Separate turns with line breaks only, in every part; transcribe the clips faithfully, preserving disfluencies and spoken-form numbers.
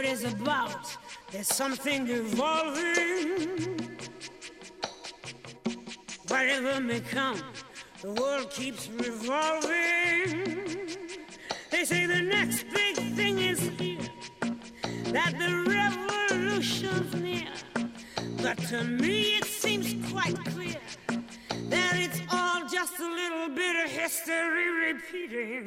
is about. There's something evolving. Whatever may come, the world keeps revolving. They say the next big thing is here, that the revolution's near. But to me it seems quite clear that it's all just a little bit of history repeating.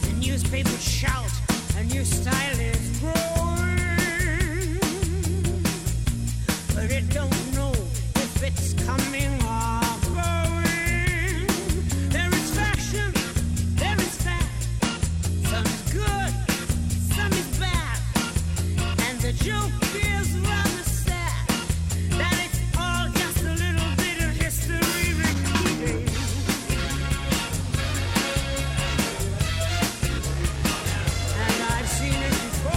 The newspapers shout, a new style is growing, but it don't know if it's coming or going. There is fashion, there is fat. Some is good, some is bad. And the joke is rather sad, that it's all just a little bit of history repeating. And I've seen it before,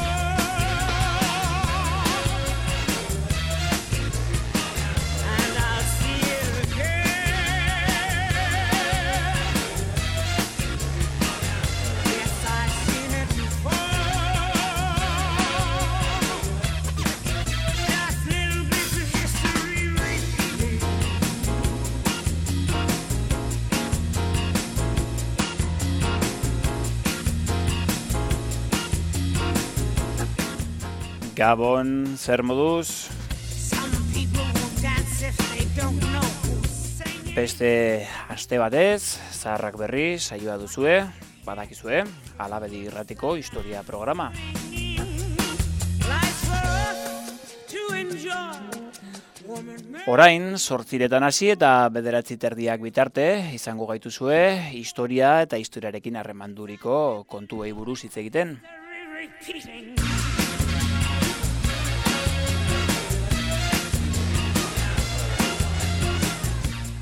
and I'll see it again. Yes, I've seen it before. Just little bits of history repeating.
Gabon, zer moduz?
Some people will dance if they don't know who's singing.
Beste aste batez, zaharrak berri saioa duzue, badakizue, Alabedi Irratiko historia programa.
Life's for us to enjoy. Woman, man.
Orain, zortziretan hasi eta bederatzi terdiak bitarte, izango gaituzue, historia eta historiarekin harremanduriko kontuei buruz hitz egiten.
Repeating.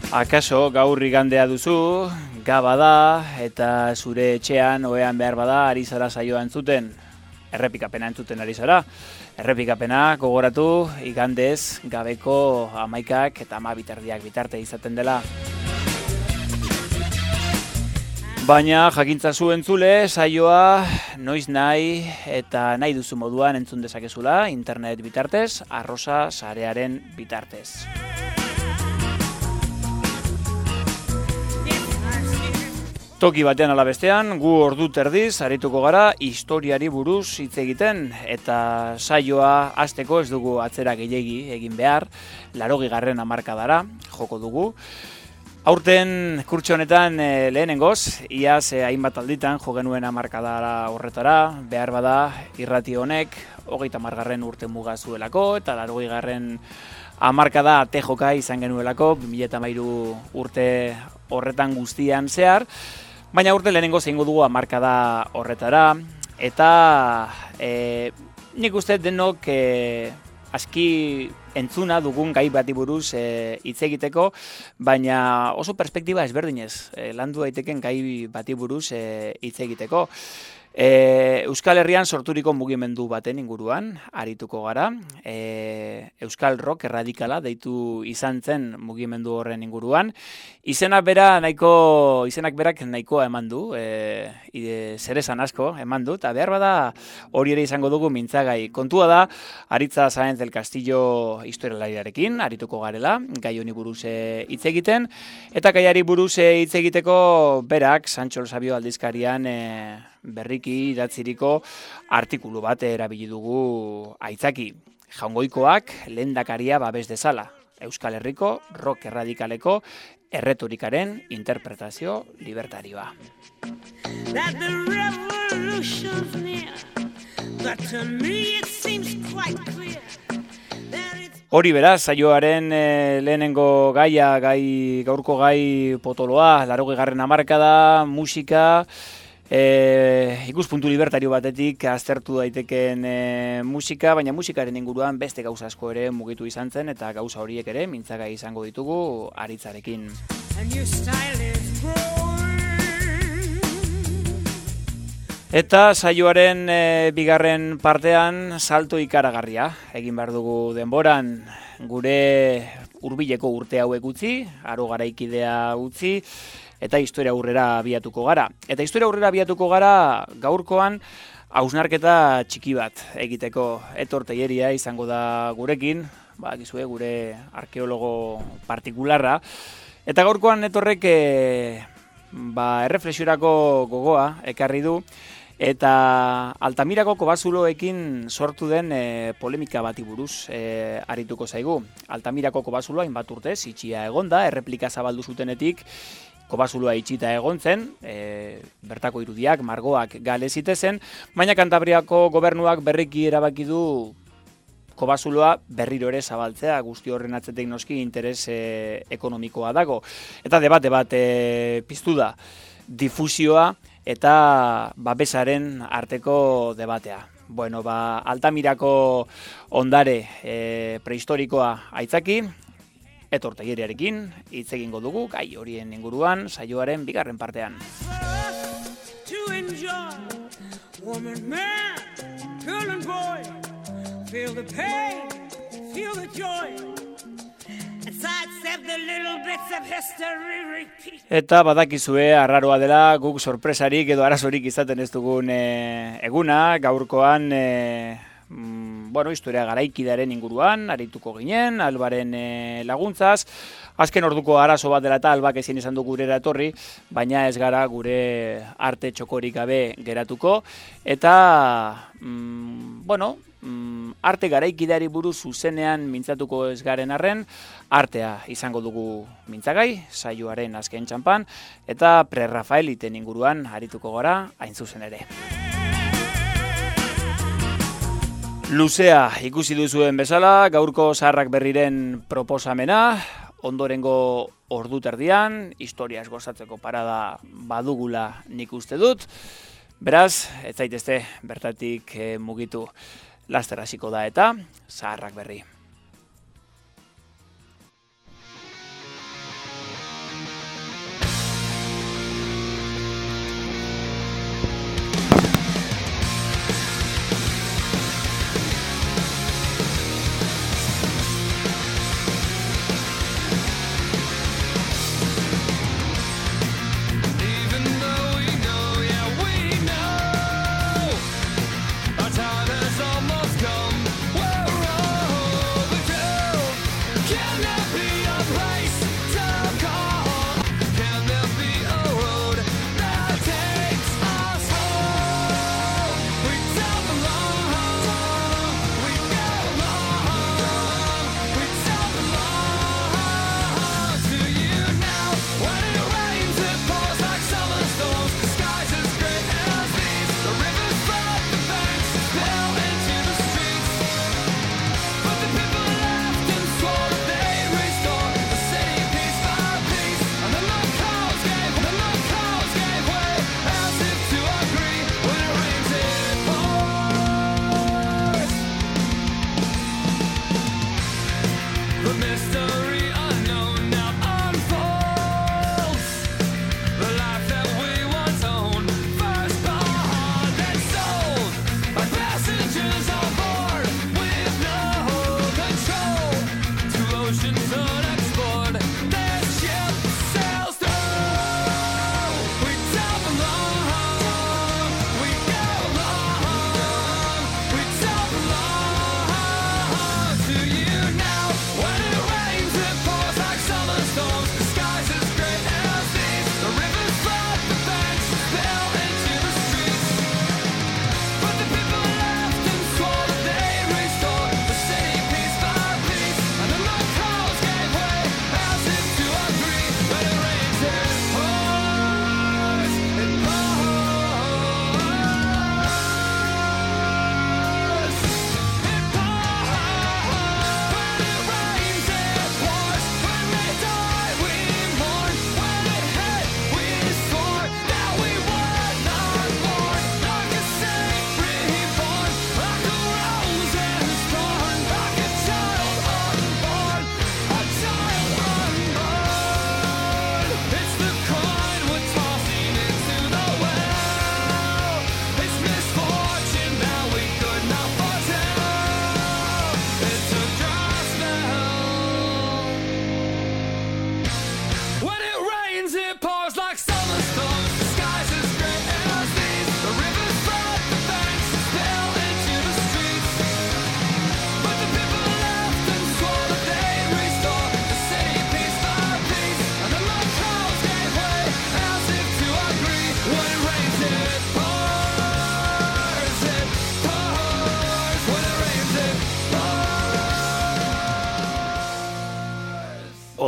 Akaso gaur igandea duzu, gaba da, eta zure etxean ohean behar bada ari zara saioa entzuten. Errepikapena entzuten ari zara. Errepikapena gogoratu igandez gabeko hamaikak eta hamabitardiak bitarte izaten dela. Baina jakintzazu entzule, saioa noiz nahi eta nahi duzu moduan entzun dezakezula, internet bitartez, arrosa sarearen bitartez. Toki batean ala bestean, gu ordu terdiz arituko gara historiari buruz hitz egiten, eta saioa hasteko ez dugu atzera gehiegi egin behar, laurogeigarren hamarkadara joko dugu. Aurten kurtso honetan e, lehenengoz, iaz e, hainbat alditan jo genuen hamarkadara horretara, behar bada irrati honek hogeita hamargarren urte muga zuelako, eta laurogeigarren hamarkada tejoka izan genuelako, bi mila hamairu urte horretan guztian zehar. Baina urte lehenengo zeingo dugu hamarkada horretara, eta e, nik uste denok e, aski entzuna dugun gai bati buruz e, hitz egiteko, baina oso perspektiba ezberdinez e, landu daiteken gai bati buruz e, hitz egiteko. E, Euskal Herrian sorturiko mugimendu baten inguruan arituko gara. E, Euskal Rock erradikala deitu izan zen mugimendu horren inguruan. Izenak bera nahiko izenak berak nahikoa eman du, e, zer esan asko eman du, eta behar bada hori ere izango dugu mintzagai. Kontua da, Aritza Sáenz del Castillo historialariarekin arituko garela, gai honi buruz hitz egiten, eta gaiari buruz hitz egiteko berak Sancho Sabio aldizkarian e, berriki idatziriko artikulu bat erabili dugu aitzaki. Jaungoikoak lehendakaria babes dezala. Euskal Herriko rock erradikaleko erretorikaren interpretazio libertarioa.
That the revolution's near, but to me it seems quite clear that it's...
Hori beraz, saioaren e, lehenengo gaia, gai, gaurko gai potoloa, laurogeigarren hamarkada, musika, E, ikuspuntu libertario batetik aztertu daiteken e, musika, baina musikaren inguruan beste gauza asko ere mugitu izan zen, eta gauza horiek ere mintzagai izango ditugu Aritzarekin. Eta saioaren e, bigarren partean salto ikaragarria. Egin behar dugu denboran gure hurbileko urte hauek utzi, aro garaikidea utzi, eta historia aurrera abiatuko gara. Eta historia aurrera abiatuko gara gaurkoan hausnarketa txiki bat egiteko. Etor Telleria izango da gurekin, ba, gizue, gure arkeologo partikularra. Eta gaurkoan etorrek e, ba, erreflexiorako gogoa ekarri du, eta Altamirako kobazuloekin sortu den e, polemika bati buruz e, arituko zaigu. Altamirako kobazuloa hainbat urtez itxia egonda, erreplika zabaldu zutenetik kobazuloa itxita egon zen, e, bertako irudiak, margoak gale zitezen, baina Kantabriako gobernuak berriki erabaki du kobazuloa berriro ere zabaltzea, guzti horren atzetik noski interes e, ekonomikoa dago. Eta debate bat e, piztu da, difusioa eta babesaren arteko debatea. Bueno, ba, Altamirako ondare e, prehistorikoa aitzaki, Etor Telleriarekin hitz egingo dugu gai horien inguruan saioaren bigarren partean. Eta badakizue arraroa dela guk sorpresarik edo arazorik izaten ez dugun e, eguna, gaurkoan e, mm, bueno, historia garaikidaren inguruan, arituko ginen, Albaren e, laguntzaz, azken orduko arazo bat dela eta Albak ezin izan du gurera etorri, baina ez gara gure arte txokorik gabe geratuko, eta, mm, bueno, mm, arte garaikideari buruz zuzenean mintzatuko ez garen arren, artea izango dugu mintzagai, saioaren azken txanpan, eta pre-Rafaeliten inguruan arituko gara hain zuzen ere. Luzea ikusi duzuen bezala, gaurko Zaharrak Berriren proposamena, ondorengo ordu terdian, historiaz gozatzeko parada badugula nik uste dut, beraz, ez zaitezte bertatik e, mugitu. Laster hasiko da eta Zaharrak Berri.
Our time has almost come. Whoa, whoa.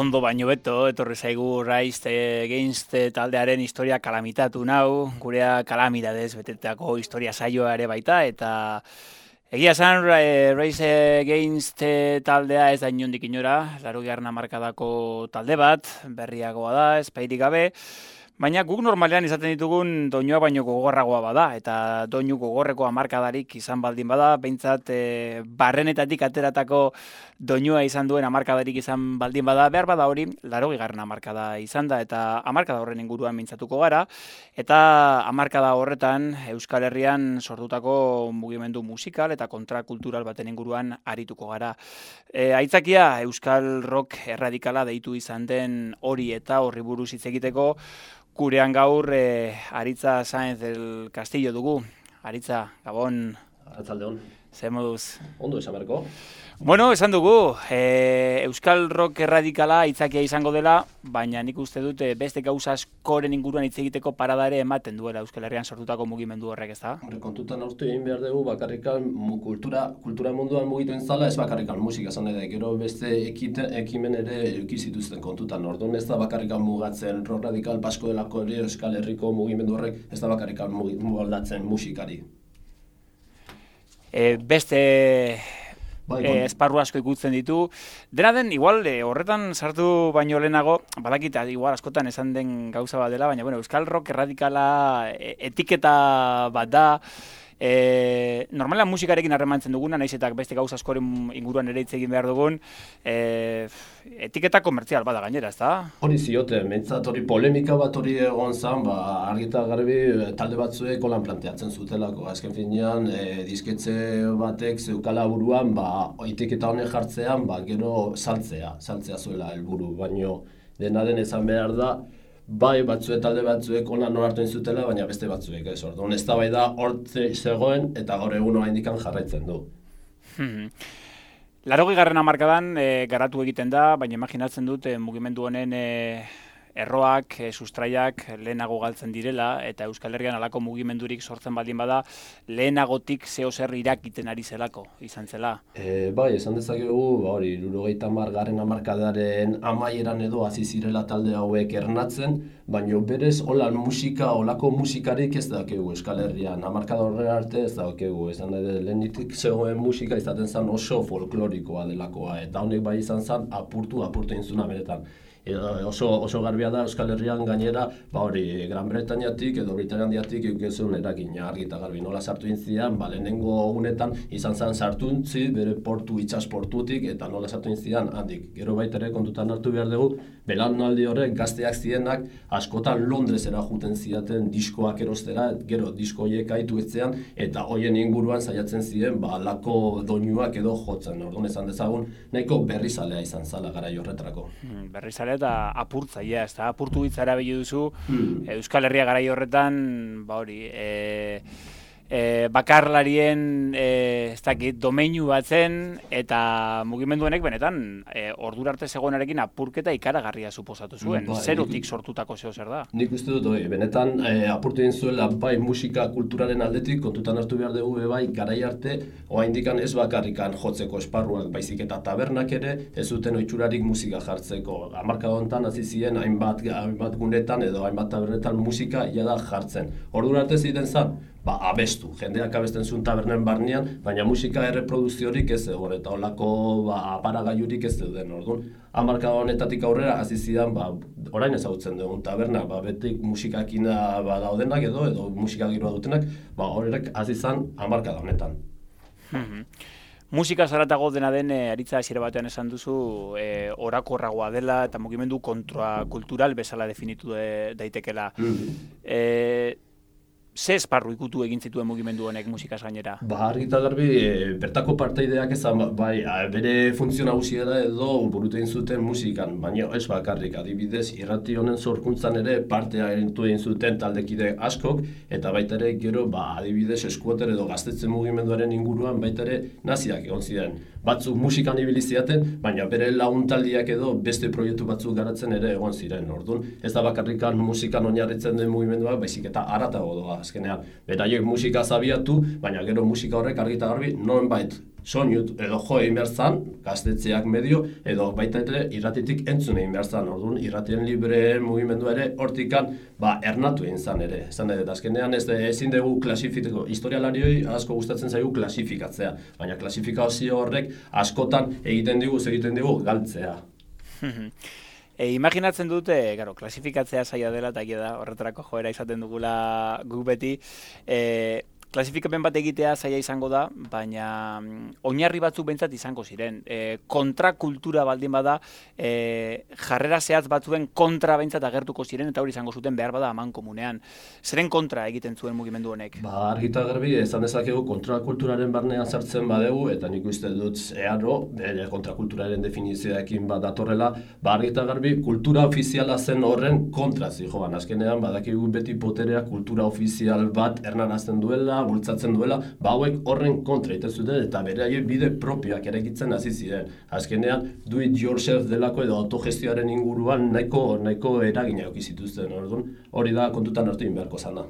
ondo baino beto, etorri zaigu Rise Against taldearen historia kalamitatu nau, gurea kalamidadez betetako historia saioa ere baita, eta egia esan Rise Against taldea ez da inondik inora, laurogeita hamarkadako talde bat, berriagoa da, espairik gabe, baina guk normalean izaten ditugun doinua baino gogorragoa bada, eta doinu gogorreko hamarkadarik izan baldin bada, behintzat e, barrenetatik ateratako doinua izan duen hamarkadarik izan baldin bada, behar bada hori, laurogeita hamarkada izan da, eta hamarkada horren inguruan mintzatuko gara, eta hamarkada horretan Euskal Herrian sortutako mugimendu musikal eta kontrakultural baten inguruan arituko gara. E, aitzakia Euskal Rock erradikala deitu izan den hori eta horri buruz hitz egiteko, gurean gaur eh, Aritza Sáenz del Castillo dugu. Aritza, Gabon.
Arratsaldeon.
Ze moduz?
Ondo esan berko.
Bueno, esan dugu, eh, Euskal Rock erradikala hitzakia izango dela, baina nik uste dute beste gauza askoren inguruan hitz egiteko parada ere ematen duela Euskal Herrian sortutako mugimendu horrek, ezta?
Horre, kontutan hartu egin behar dugu bakarrikan kultura, kultura munduan mugituen zala ez bakarrikan musika zan edo, gero beste ekite, ekimen ere eukizituzten kontutan. Orduan ez da bakarrikan mugatzen rock radikal basko delako ere Euskal Herriko mugimendu horrek ez da bakarrikan mugaldatzen musikari.
E, beste
Bai,
e, esparru asko ikutzen ditu. Dena den, igual, e, horretan sartu baino lehenago, badakit, igual askotan esan den gauza bat dela, baina bueno, Euskal Rock erradikala e, etiketa bat da. E, normalan musikarekin harremantzen duguna, naiz eta beste gauza askoren inguruan ere hitz egin behar dugun, e, etiketa komertzial bada gainera, ezta?
Hori zioten, mentzat hori polemika bat hori egon zan, ba, argita garbi talde batzuek holan planteatzen zutelako. Azken finean, e, disketxe batek zeukala buruan, ba, etiketa honek jartzean, ba, gero saltzea, saltzea zuela helburu, baino dena den esan behar da, bai batzuek talde batzuek ona norartu zutela, baina beste batzuek ez. Orduan eztabaida hortze zegoen eta gaur egun oraindik jarraitzen du.
Hmm. Laurogeigarren hamarkadan e, garatu egiten da, baina imaginatzen dut e, mugimendu honen e, erroak, e, sustraiak lehenago galtzen direla, eta Euskal Herrian halako mugimendurik sortzen baldin bada, lehenagotik zeo zer irakiten ari zelako, izan zela.
E, bai, esan dezakegu, ba, hori, hirurogeita hamargarren hamarkadaren amaieran edo hasi zirela talde hauek ernatzen, baina berez holan musika, holako musikarik ez dakegu Euskal Herrian. Hamarkada horrela arte ez dakegu, esan da lehenetik zegoen musika izaten zen oso folklorikoa delakoa, eta honek bai izan zen apurtu, apurtu inzuna beretan. Oso, oso garbia da Euskal Herrian gainera, ba hori, Gran Bretañatik edo Britaniatik eukezun erakina argita garbi. Nola sartu intzian, ba lehenengo unetan izan zen sartuntzi bere portu itxasportutik eta nola sartu intzian handik. Gero baita ere kontutan hartu behar dugu, belaunaldi horrek gazteak zienak askotan Londresera juten zidaten diskoak erostera, gero disko horiek aitu etzean eta hoien inguruan saiatzen ziren ba lako doinuak edo jotzen. Orduan esan dezagun, nahiko berrizalea izan zala garai horretarako.
Hmm, berrizalea eta apurtzailea, ez da, apurtu hitza erabili duzu,
hmm.
Euskal Herria garai horretan, ba hori, e, e, bakarlarien, e, ez dakit, domeinu bat zen, eta mugimendu honek benetan, e, ordura arte zegoenarekin apurketa ikaragarria suposatu zuen,
ba,
zerotik sortutako zeo zer da.
Nik uste dut, oi, benetan e, apurtu egin zuela bai musika kulturaren aldetik, kontutan hartu behar dugu bai garai arte, oraindikan ez bakarrikan jotzeko esparruak, baizik eta tabernak ere, ez zuten ohiturarik musika jartzeko. Hamarkada honetan hasi ziren hainbat, hainbat gunetan edo hainbat tabernetan musika ia da jartzen. Ordura arte ziren zan, ba, abestu, jendeak abesten zuen tabernen barnean, baina musika erreproduziorik ez egon, eta holako ba, aparagailurik ez zeuden. Orduan, hamarkada honetatik aurrera hasi zidan, ba, orain ezagutzen dugun tabernak, ba, betik musikakina ba, daudenak edo, edo musika giroa dutenak, ba, horrek hasi zan hamarkada honetan.
Musika zaratago dena den, e, Aritza hasiera batean esan duzu, e, orakorragoa dela eta mugimendu kontrakultural bezala definitu de, daitekela.
Mm.
E, ze esparru ikutu egin zituen mugimendu honek musikaz gainera?
Ba, argi eta garbi, e, bertako parteideak ezan, bai, a, bere funtzio nagusia da edo burutu egin zuten musikan, baina ez bakarrik, adibidez, irrati honen sorkuntzan ere partea hartu egin zuten taldekide askok, eta baita ere gero, ba, adibidez, eskuoter edo gaztetze mugimenduaren inguruan baita ere naziak egon ziren. Batzuk musikan ibili ziaten, baina bere laguntaldiak edo beste proiektu batzuk garatzen ere egon ziren. Orduan, ez da bakarrikan musikan oinarritzen den mugimenduak, baizik eta haratago doa. azkenean. Beraiek musika zabiatu, baina gero musika horrek argi eta garbi nonbait soinut edo jo egin behar zan, gaztetxeak medio, edo baita ere irratitik entzun egin behar zan. Orduan, irratien libreen mugimendua ere hortikan ba, ernatu egin zan ere. Zan edo, azkenean ez ezin dugu klasifikatu, historialarioi asko gustatzen zaigu klasifikatzea, baina klasifikazio horrek askotan egiten digu, egiten digu galtzea.
E, imaginatzen dute, garo, klasifikatzea zaila dela, eta da, horretarako joera izaten dugula guk beti, e, klasifikapen bat egitea zaila izango da, baina oinarri batzuk behintzat izango ziren. E, kontrakultura baldin bada, e, jarrera zehatz batzuen kontra behintzat agertuko ziren, eta hori izango zuten behar bada aman komunean. Zeren kontra egiten zuen mugimendu honek?
Ba, argita garbi, esan dezakegu kontrakulturaren barnean sartzen badegu, eta nik uste dut earo, bere kontrakulturaren definizioekin bat datorrela, ba, argita garbi, kultura ofiziala zen horren kontra zijoan. Azkenean, badakigu beti poterea kultura ofizial bat ernarazten duela, bultzatzen duela, ba hauek horren kontra egiten zuten eta beraien bide propioak eraikitzen hasi ziren. Azkenean, do it yourself delako edo autogestioaren inguruan nahiko nahiko eragina eduki zituzten. Orduan, hori da kontutan hartu egin beharko zana.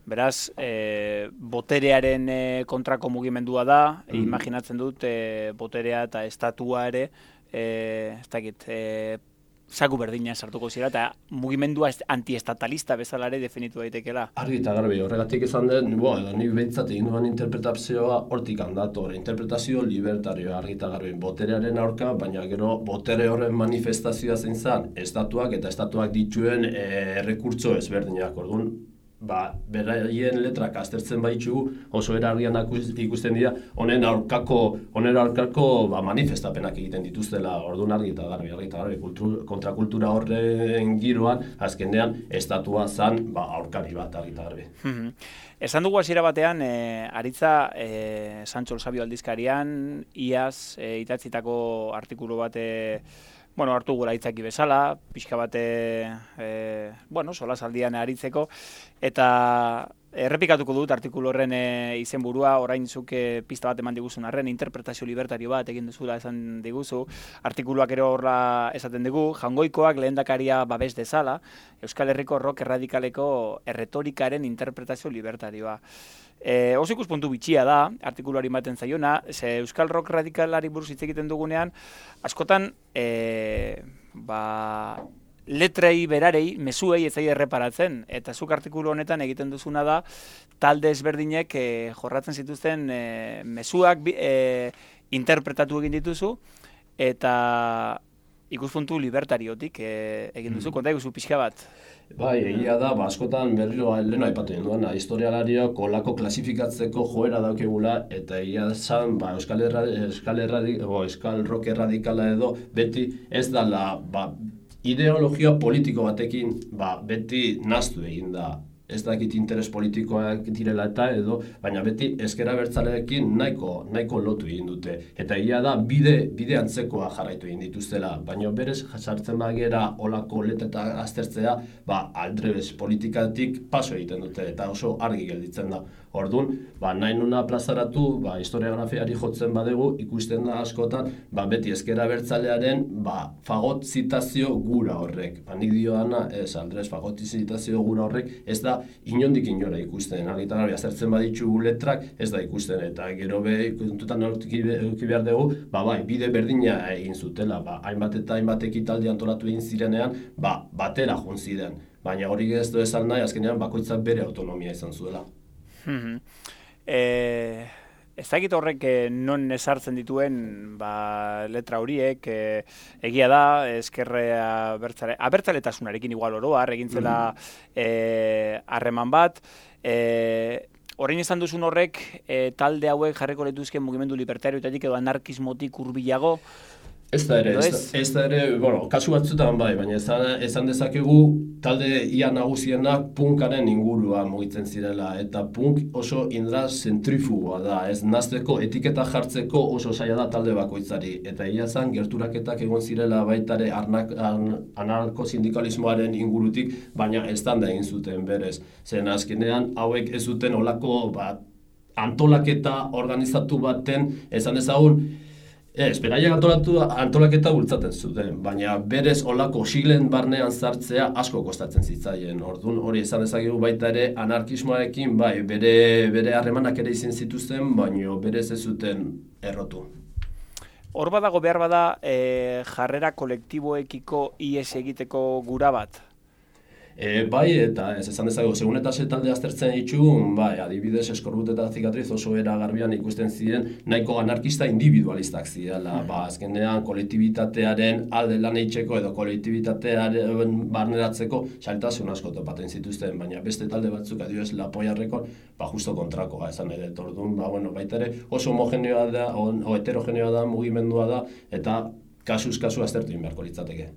Beraz, e, boterearen e, kontrako mugimendua da, mm. imaginatzen dut, e, boterea eta estatua ere, e, ez dakit, e, zaku berdina sartuko zira, eta mugimendua antiestatalista bezala ere definitu daitekela.
Argi eta garbi, horregatik izan den, bo, edo nik behintzat egin duan interpretazioa hortik handator, interpretazio libertarioa, argi eta garbi, boterearen aurka, baina gero botere horren manifestazioa zein zen, estatuak eta estatuak dituen e, errekurtso ezberdinak, orduan, ba, beraien letrak aztertzen baitxu, oso erargian ikusten dira, honen aurkako, honen aurkako ba, manifestapenak egiten dituztela, orduan argi eta garbi, argi eta garbi, kultur, kontrakultura horren giroan, azkenean, estatua zan, ba, aurkari bat, argi eta garbi.
Esan dugu hasiera batean, e, aritza e, Sancho el Sabio aldizkarian, iaz, e, itatzitako artikulu bat, e, bueno, hartu gura hitzaki bezala, pixka bate, e, bueno, solasaldian aritzeko, eta errepikatuko dut artikulu horren e, izenburua, orain zuk e, pista bat eman diguzun arren, interpretazio libertario bat egin duzula esan diguzu, artikuluak ere horra esaten digu, Jangoikoak lehendakaria babes dezala, Euskal Herriko rock erradikaleko erretorikaren interpretazio libertarioa. E, oso ikuspuntu bitxia da, artikuluari ematen zaiona, ze Euskal Rock radikalari buruz hitz egiten dugunean, askotan, e, ba, letrei berarei, mezuei ez zaie erreparatzen, eta zuk artikulu honetan egiten duzuna da, talde ezberdinek e, jorratzen zituzten e, mezuak e, interpretatu egin dituzu, eta ikuspuntu libertariotik e, egin duzu, konta eguzu pixka bat.
Bai, egia da, ba, askotan berriro lehena aipatu egin duena, historialariok olako klasifikatzeko joera daukegula, eta egia zan, ba, Euskal, Erra, Euskal, Erra, o, Euskal Rock erradikala edo, beti ez dala, ba, ideologia politiko batekin, ba, beti naztu egin da. Ez dakit interes politikoak direla eta edo, baina beti ezker abertzaleekin nahiko, nahiko lotu egin dute. Eta egia da, bide, bide antzekoa jarraitu egin dituztela, baina berez jasartzen bagera olako leteta aztertzea, ba, aldrebes politikatik paso egiten dute, eta oso argi gelditzen da. Orduan, ba, nahi nuna plazaratu, ba, historiografiari jotzen badegu, ikusten da askotan, ba, beti ezker abertzalearen, ba, fagot zitazio gura horrek. Ba, nik dioana, ez, aldrez, fagot zitazio gura horrek, ez da inondik inora ikusten, argita garbi aztertzen baditzu letrak ez da ikusten, eta gero be kontutan eduki behar dugu, ba bai, bide berdina egin zutela, ba hainbat eta hainbat ekitaldi antolatu egin zirenean, ba batera joan ziren, baina hori ez du esan nahi, azkenean bakoitzak bere autonomia izan zuela.
eh... Ez dakit horrek eh, non ezartzen dituen ba, letra horiek, eh, egia da, ezkerrea abertzale, abertzaletasunarekin igual oroar, egin zela harreman eh, bat. Eh, orain izan duzun horrek, eh, talde hauek jarriko letuzken mugimendu libertarioetatik edo anarkismotik hurbilago.
Ez da ere, ez da, ez da ere, bueno, kasu batzutan bai, baina esan, esan dezakegu talde ia nagusiena punkaren ingurua mugitzen zirela, eta punk oso indra zentrifugoa da, ez nazteko etiketa jartzeko oso zaila da talde bakoitzari, eta ia zan gerturaketak egon zirela baitare anarko-sindikalismoaren ingurutik, baina ez da egin zuten berez, zen azkenean hauek ez zuten olako bat, antolaketa organizatu baten, esan ezagun, Ez, beraiek antolatu, antolaketa bultzaten zuten, baina berez olako siglen barnean sartzea asko kostatzen zitzaien. Orduan hori esan dezakegu baita ere anarkismoarekin bai, bere bere harremanak ere izan zituzten, baina berez ez zuten errotu.
Hor badago behar bada e, jarrera kolektiboekiko ihes egiteko gura bat?
E, bai, eta ez esan dezago, segun eta talde aztertzen ditugun, bai, adibidez Eskorbut eta Zikatriz oso era garbian ikusten ziren nahiko anarkista individualistak zirela, mm. ba, azkenean kolektibitatearen alde lan eitzeko edo kolektibitatearen barneratzeko xaltasun asko topaten zituzten, baina beste talde batzuk adibidez Lapoiarrekon, ba, justo kontrakoa esan nahi dut. Orduan, ba, bueno, baita ere oso homogeneoa da, o, o heterogeneoa da, mugimendua da, eta kasuz kasu aztertu egin beharko litzateke.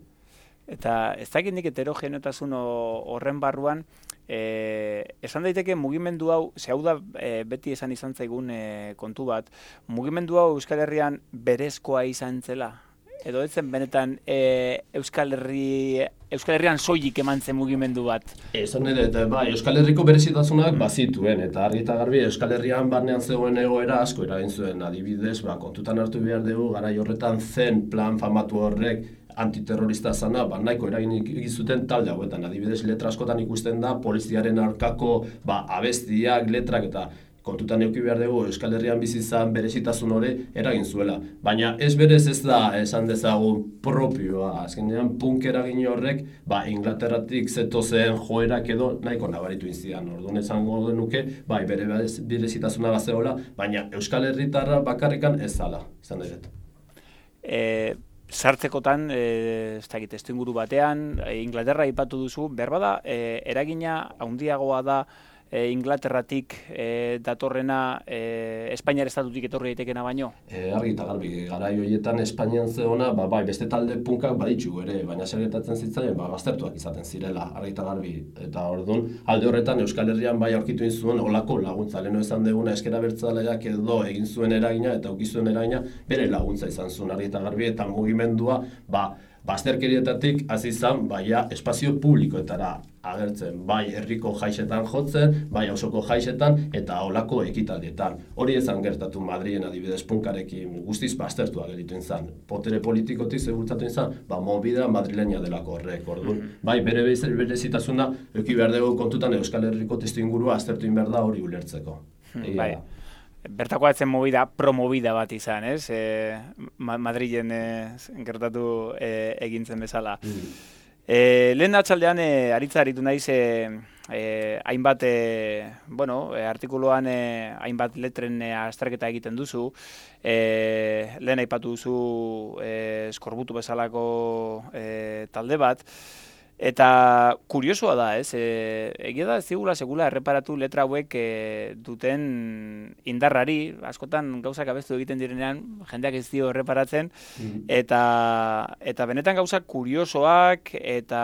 Eta ez dakit nik heterogeneotasun horren barruan, e, esan daiteke mugimendu hau, ze hau da e, beti esan izan zaigun e, kontu bat, mugimendu hau Euskal Herrian berezkoa izan zela? Edo ez zen benetan e, Euskal Herri, Euskal Herrian soilik eman zen mugimendu bat?
Esan ere, eta bai, Euskal Herriko berezitasunak bazituen, eta argi eta garbi Euskal Herrian barnean zegoen egoera asko eragin zuen, adibidez, ba, kontutan hartu behar dugu, garai horretan zen plan famatu horrek, antiterrorista zana, ba, nahiko eragin zuten talde hauetan. Adibidez, letra askotan ikusten da, poliziaren aurkako ba, abestiak, letrak eta kontutan eduki behar dugu Euskal Herrian bizi izan berezitasun hori eragin zuela. Baina ez berez ez da esan dezagun propioa. Azkenean punk eragin horrek ba, Inglaterratik zetozen joerak edo nahiko nabaritu inzidan. Orduan esango genuke, bai, bere berezitasuna bazeola, baina Euskal Herritarra bakarrikan ez zala, izan dut.
E... Sartzekotan, e, ez dakit, testuinguru batean, e, Inglaterra aipatu duzu, behar bada, e, eragina handiagoa da e, Inglaterratik e, datorrena e, Espainiar estatutik etorri daitekena baino?
E, argi eta garbi, garai horietan Espainian zeona, ba, bai, beste talde punkak baditzu ere, baina zer gertatzen zitzaien, ba, baztertuak izaten zirela, argi eta garbi. Eta orduan, alde horretan Euskal Herrian bai aurkitu zuen olako laguntza, leheno esan deguna eskera bertzaleak edo egin zuen eragina eta uki zuen eragina bere laguntza izan zuen, argi eta garbi, eta mugimendua, ba, bazterkerietatik hasi izan, baia espazio publikoetara agertzen, bai herriko jaixetan jotzen, bai auzoko jaixetan eta olako ekitaldietan. Hori ezan gertatu Madrilen adibidez punkarekin guztiz baztertua gelditu izan. Potere politikotik zebultzatu izan, ba movida madrilena delako horrek. Orduan, bai bere berezitasuna eduki behar dugu kontutan Euskal Herriko testuingurua aztertu egin behar da hori ulertzeko.
Bai. Bertakoa etzen movida, promovida bat izan, ez? E, Madrilen e, gertatu e, egintzen bezala. Mm. E, lehen atxaldean, e, aritza aritu naiz, e, e, hainbat, e, bueno, e, artikuluan e, hainbat letren e, azterketa egiten duzu, e, lehen aipatu duzu e, Eskorbutu bezalako e, talde bat, eta kuriosoa da, ez? E, egia da ez digula segula erreparatu letra hauek e, duten indarrari, askotan gauzak abestu egiten direnean jendeak ez dio erreparatzen, mm. eta, eta benetan gauzak kuriosoak, eta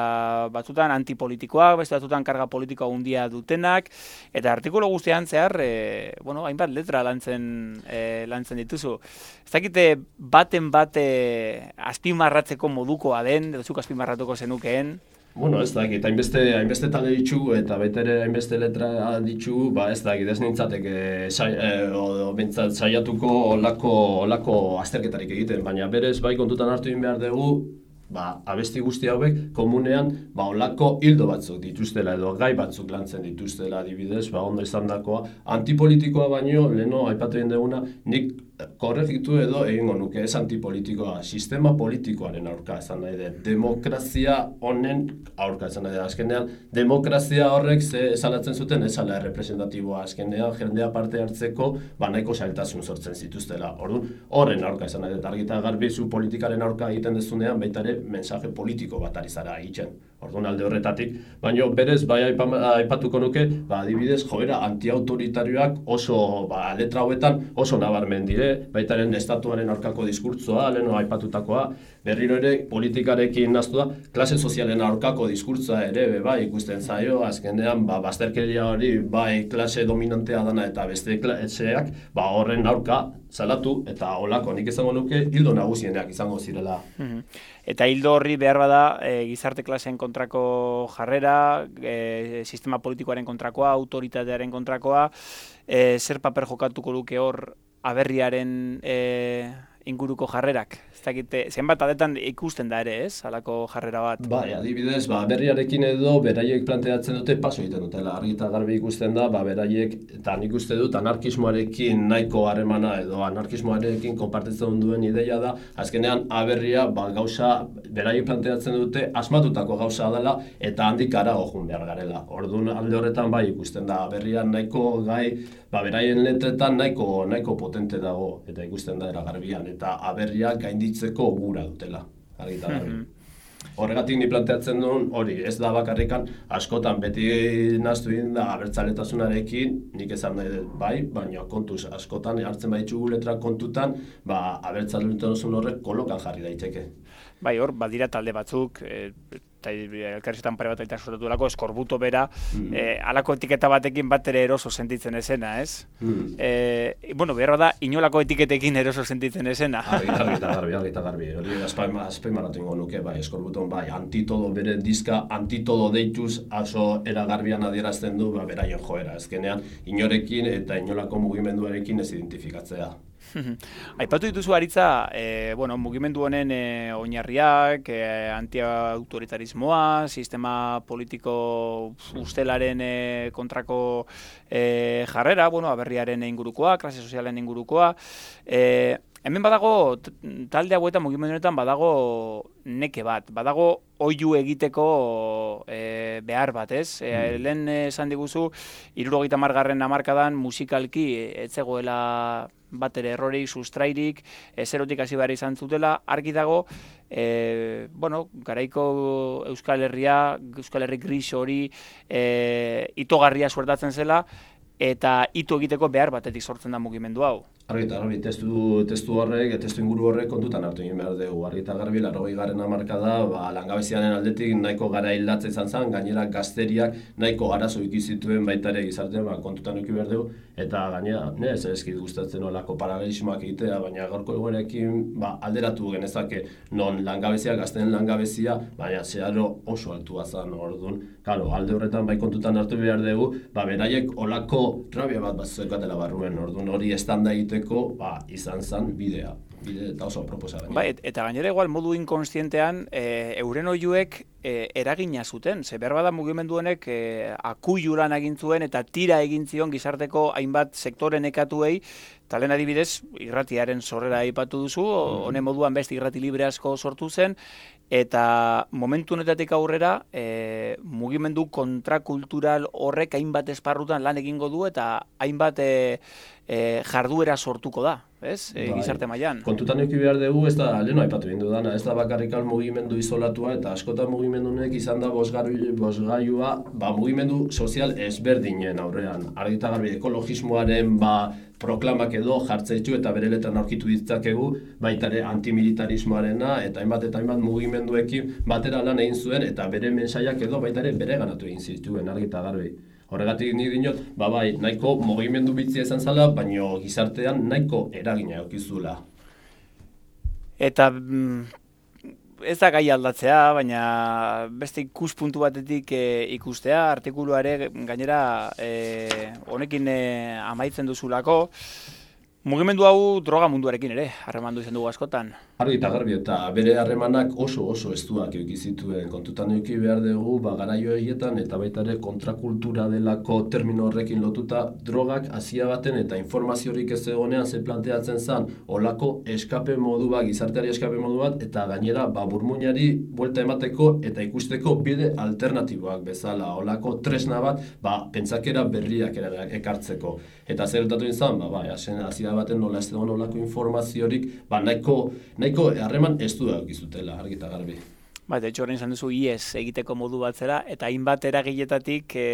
batzutan antipolitikoak, beste batzutan karga politikoa handia dutenak, eta artikulu guztian zehar, e, bueno, hainbat letra lantzen, e, lantzen dituzu. Ez dakite baten bate azpimarratzeko modukoa den, edo zuk azpimarratuko zenukeen?
Bueno, ez dakit, hainbeste, hainbeste talde ditugu eta baita ere hainbeste letra ditugu, ba ez dakit, ez nintzateke sai, e, o, bintzat saiatuko olako, olako azterketarik egiten, baina berez bai kontutan hartu egin behar dugu, ba, abesti guzti hauek komunean ba, olako hildo batzuk dituztela edo gai batzuk lantzen dituztela adibidez, ba, ondo izan dakoa, antipolitikoa baino, leheno aipatu egin duguna, nik korregitu edo egingo nuke ez antipolitikoa, sistema politikoaren aurka esan nahi den, demokrazia honen aurka esan nahi den, azkenean demokrazia horrek ze esalatzen zuten esala representatiboa, azkenean jendea parte hartzeko ba nahiko zailtasun sortzen zituztela, orduan horren aurka esan nahi den, argita garbi zu politikaren aurka egiten dezunean baita ere mensaje politiko bat ari zara egiten. Orduan alde horretatik, baina berez bai aipatuko nuke, ba adibidez joera antiautoritarioak oso ba letra hauetan oso nabarmen dire, baitaren estatuaren aurkako diskurtsoa, leheno aipatutakoa, berriro ere politikarekin naztu da, klase sozialen aurkako diskurtsoa ere bai ikusten zaio, azkenean ba bazterkeria hori bai klase dominantea dana eta beste klaseak, ba horren aurka salatu eta holako nik izango nuke hildo nagusienak izango zirela.
Mm-hmm. Eta hildo horri behar bada e, gizarte klaseen kontrako jarrera, e, sistema politikoaren kontrakoa, autoritatearen kontrakoa, e, zer paper jokatuko luke hor aberriaren e, inguruko jarrerak? Ez dakite, zenbat adetan ikusten da ere, ez? Halako jarrera bat.
Bai, adibidez, ba, berriarekin edo beraiek planteatzen dute paso egiten dutela. Argi eta garbi ikusten da, ba, beraiek, eta nik uste dut anarkismoarekin nahiko harremana edo anarkismoarekin konpartitzen duen ideia da, azkenean aberria ba, gauza, beraiek planteatzen dute asmatutako gauza dela eta handik harago joan behar garela. Orduan alde horretan bai ikusten da, aberria nahiko gai, ba, beraien letretan nahiko, nahiko potente dago eta ikusten da eragarbian, eta aberria gainditzeko gura dutela, argi eta garbi. Horregatik ni planteatzen duen hori, ez da bakarrikan askotan beti nahaztu egin da abertzaletasunarekin, nik esan nahi dut bai, baina kontuz askotan hartzen baditugu letra kontutan, ba abertzaletasunan horrek kolokan jarri daiteke.
Bai, hor, badira talde batzuk, e, eta elkarrizketan pare bat aita sortatu lako, eskorbuto bera, mm. e, alako etiketa batekin bat ere eroso sentitzen esena, ez? Mm. E, bueno, behar da, inolako etiketekin eroso sentitzen esena.
Argi, argi eta garbi, argi eta garbi. Hori azpaimarratu ingo nuke, bai, eskorbuton, bai, antitodo bere diska, antitodo deituz, aso eragarbian adierazten du, ba, beraien joera, ezkenean, inorekin eta inolako mugimenduarekin ez identifikatzea.
Aipatu dituzu Aritza, e, bueno, mugimendu honen e, oinarriak, e, antiautoritarismoa, sistema politiko ustelaren e, kontrako e, jarrera, bueno, aberriaren ingurukoa, klase sozialen ingurukoa. E, hemen badago, talde hauetan mugimendu honetan badago neke bat, badago oihu egiteko e, behar bat, ez? E, mm. Lehen esan diguzu, hirurogeita hamargarren hamarkadan musikalki ez zegoela bat ere errorik, sustrairik, zerotik hasi behar izan zutela, argi dago, e, bueno, garaiko Euskal Herria, Euskal Herri gris hori, e, itogarria suertatzen zela, eta ito egiteko behar batetik sortzen da mugimendu hau.
Argi eta garbi, testu, testu horrek, testu inguru horrek kontutan hartu egin behar dugu. Argi eta garbi, laurogei garren hamarkada, ba, langabeziaren aldetik nahiko gara hildatze izan zen, gainera gazteriak nahiko arazo ikizituen baita ere gizartean, ba, kontutan eduki behar dugu, eta gainera, ne, ez ezkit gustatzen olako paralelismoak egitea, baina gaurko egoerekin ba, alderatu genezake non langabezia, gazteen langabezia, baina zeharo oso altua zen orduan. Kalo, alde horretan bai kontutan hartu behar dugu, ba, beraiek olako rabia bat bat zuekatela barruen, orduan hori estanda egiteko ba, izan zen bidea, bide eta oso proposa gainera.
Ba, et, eta gainera igual modu inkonstientean e, euren oihuek e, eragina zuten, ze behar bada mugimendu honek e, akuiluran egin zuen eta tira egin zion gizarteko hainbat sektore nekatuei, talen adibidez irratiaren sorrera aipatu duzu, honen mm. moduan beste irrati libre asko sortu zen, eta momentu honetatik aurrera e, mugimendu kontrakultural horrek hainbat esparrutan lan egingo du eta hainbat e, e, jarduera sortuko da, ez? E, bai. Gizarte mailan.
Kontutan eduki behar dugu, ez da, leheno aipatu egin dudana, ez da bakarrikal mugimendu isolatua eta askotan mugimendu honek izan da bosgailua ba, mugimendu sozial ezberdinen aurrean. Argi eta garbi ekologismoaren ba, proklamak edo jartzeitu eta bere letran aurkitu ditzakegu, baita ere antimilitarismoarena eta hainbat eta hainbat mugimenduekin batera lan egin zuen eta bere mensaiak edo baita ere bere ganatu egin zituen, argi eta garbi. Horregatik nik dinot, ba bai, nahiko mugimendu bitzia izan zala, baina gizartean nahiko eragina eukizula.
Eta ez da gai aldatzea, baina beste ikuspuntu batetik e, ikustea, artikuluare gainera e, honekin e, amaitzen duzulako, mugimendu hau droga munduarekin ere, harremandu izan dugu askotan.
Argi eta garbi, eta bere harremanak oso oso estuak eduki zituen. Kontutan eduki behar dugu, ba, garaio egietan eta baita ere kontrakultura delako termino horrekin lotuta drogak hasia baten eta informaziorik ez egonean ze planteatzen zen olako eskape modu bat, gizarteari eskape modu bat, eta gainera ba, burmuinari buelta emateko eta ikusteko bide alternatiboak bezala, olako tresna bat, ba, pentsakera berriak ekartzeko. Eta zer gertatu izan, ba, ba, hasia baten nola ez egon olako informaziorik, ba, nahiko nahiko harreman ez du daukizutela, argi eta garbi.
Ba, de hecho, horrein izan duzu I E S egiteko modu bat zera, eta hainbat eragiletatik e,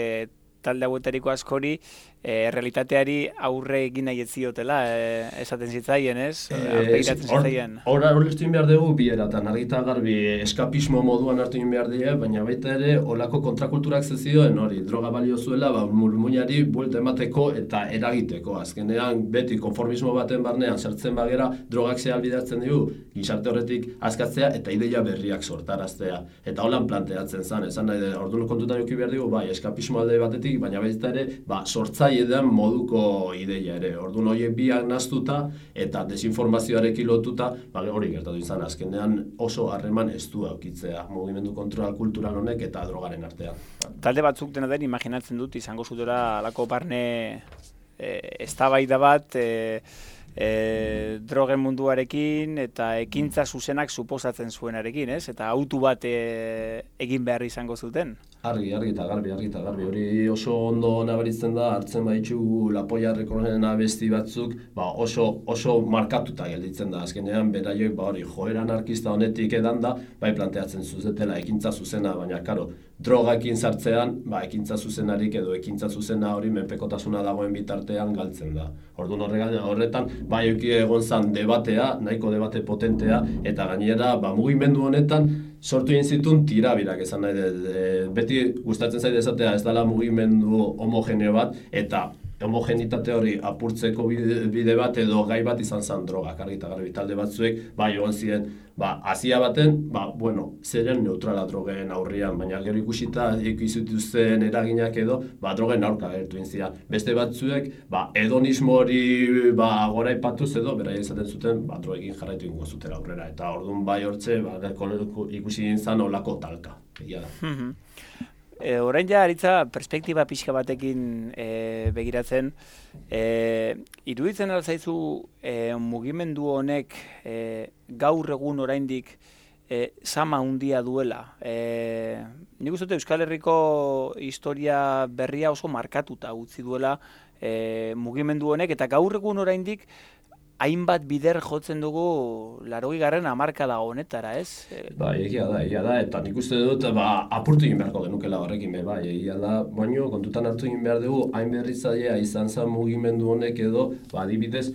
talde hauetariko askori e, realitateari aurre egin nahi ez ziotela, e, esaten zitzaien, ez? Aurpegiratzen zitzaien.
Hora horreztu behar dugu bieratan, argi eta garbi eskapismo moduan hartu behar dira, baina baita ere olako kontrakulturak zezioen hori, droga balio zuela, ba, murmuinari buelta emateko eta eragiteko. Azkenean beti konformismo baten barnean sartzen bagera, drogak zehalbidatzen dugu, gizarte horretik askatzea eta ideia berriak sortaraztea. Eta holan planteatzen zen, esan nahi, orduan kontutan eduki behar dugu, bai, eskapismo alde batetik, baina baita ere, ba, sortza alai edan moduko ideia ere. Orduan horiek biak naztuta eta desinformazioarekin lotuta, ba, hori gertatu izan azkenean oso harreman estua aukitzea mugimendu kontrol kultural honek eta drogaren artean.
Talde batzuk dena den imaginatzen dut izango zutela alako barne e, eztabaida bat e, e, drogen munduarekin eta ekintza zuzenak suposatzen zuenarekin, ez? Eta autu bat e, egin behar izango zuten.
Argi, argi eta garbi, argi eta garbi. Hori oso ondo nabaritzen da, hartzen baitxu Lapoia Recordsenen abesti batzuk, ba oso, oso markatuta gelditzen da. Azkenean, beraiek, ba hori, joera anarkista honetik edan da, bai planteatzen zuzetela ekintza zuzena, baina, karo, drogakin sartzean, ba, ekintza zuzenarik edo ekintza zuzena hori menpekotasuna dagoen bitartean galtzen da. Orduan horretan, bai egon zan debatea, nahiko debate potentea, eta gainera, ba, mugimendu honetan, sortu egin zituen tirabirak esan nahi dut. E, beti gustatzen zait esatea ez dela mugimendu homogeneo bat, eta homogenitate hori apurtzeko bide, bide bat edo gai bat izan zen drogak, argi eta garbi talde batzuek, bai egon ziren, ba, hasia baten, ba, bueno, zeren neutrala drogen aurrian, baina gero ikusita ikusitzen eraginak edo, ba, drogen aurka agertu inzia. Beste batzuek, ba, hedonismo hori, ba, gora ipatuz edo, bera izaten zuten, ba, drogekin jarraitu ingo zutela aurrera, eta orduan bai hortze, ba, ikusi gintzen olako talka, egia da.
E, orain ja, aritza, perspektiba pixka batekin e, begiratzen, e, iruditzen alzaizu e, mugimendu honek e, gaur egun oraindik e, sama handia duela. E, nik uste dut Euskal Herriko historia berria oso markatuta utzi duela e, mugimendu honek, eta gaur egun oraindik hainbat bider jotzen dugu laurogei garren hamarkada honetara, ez?
Bai, egia da, egia da, eta nik uste dut, ba, apurtu egin beharko genukela horrekin, bai, egia da, baino, kontutan hartu egin behar dugu, hain berritzailea izan zen mugimendu honek edo, ba, adibidez,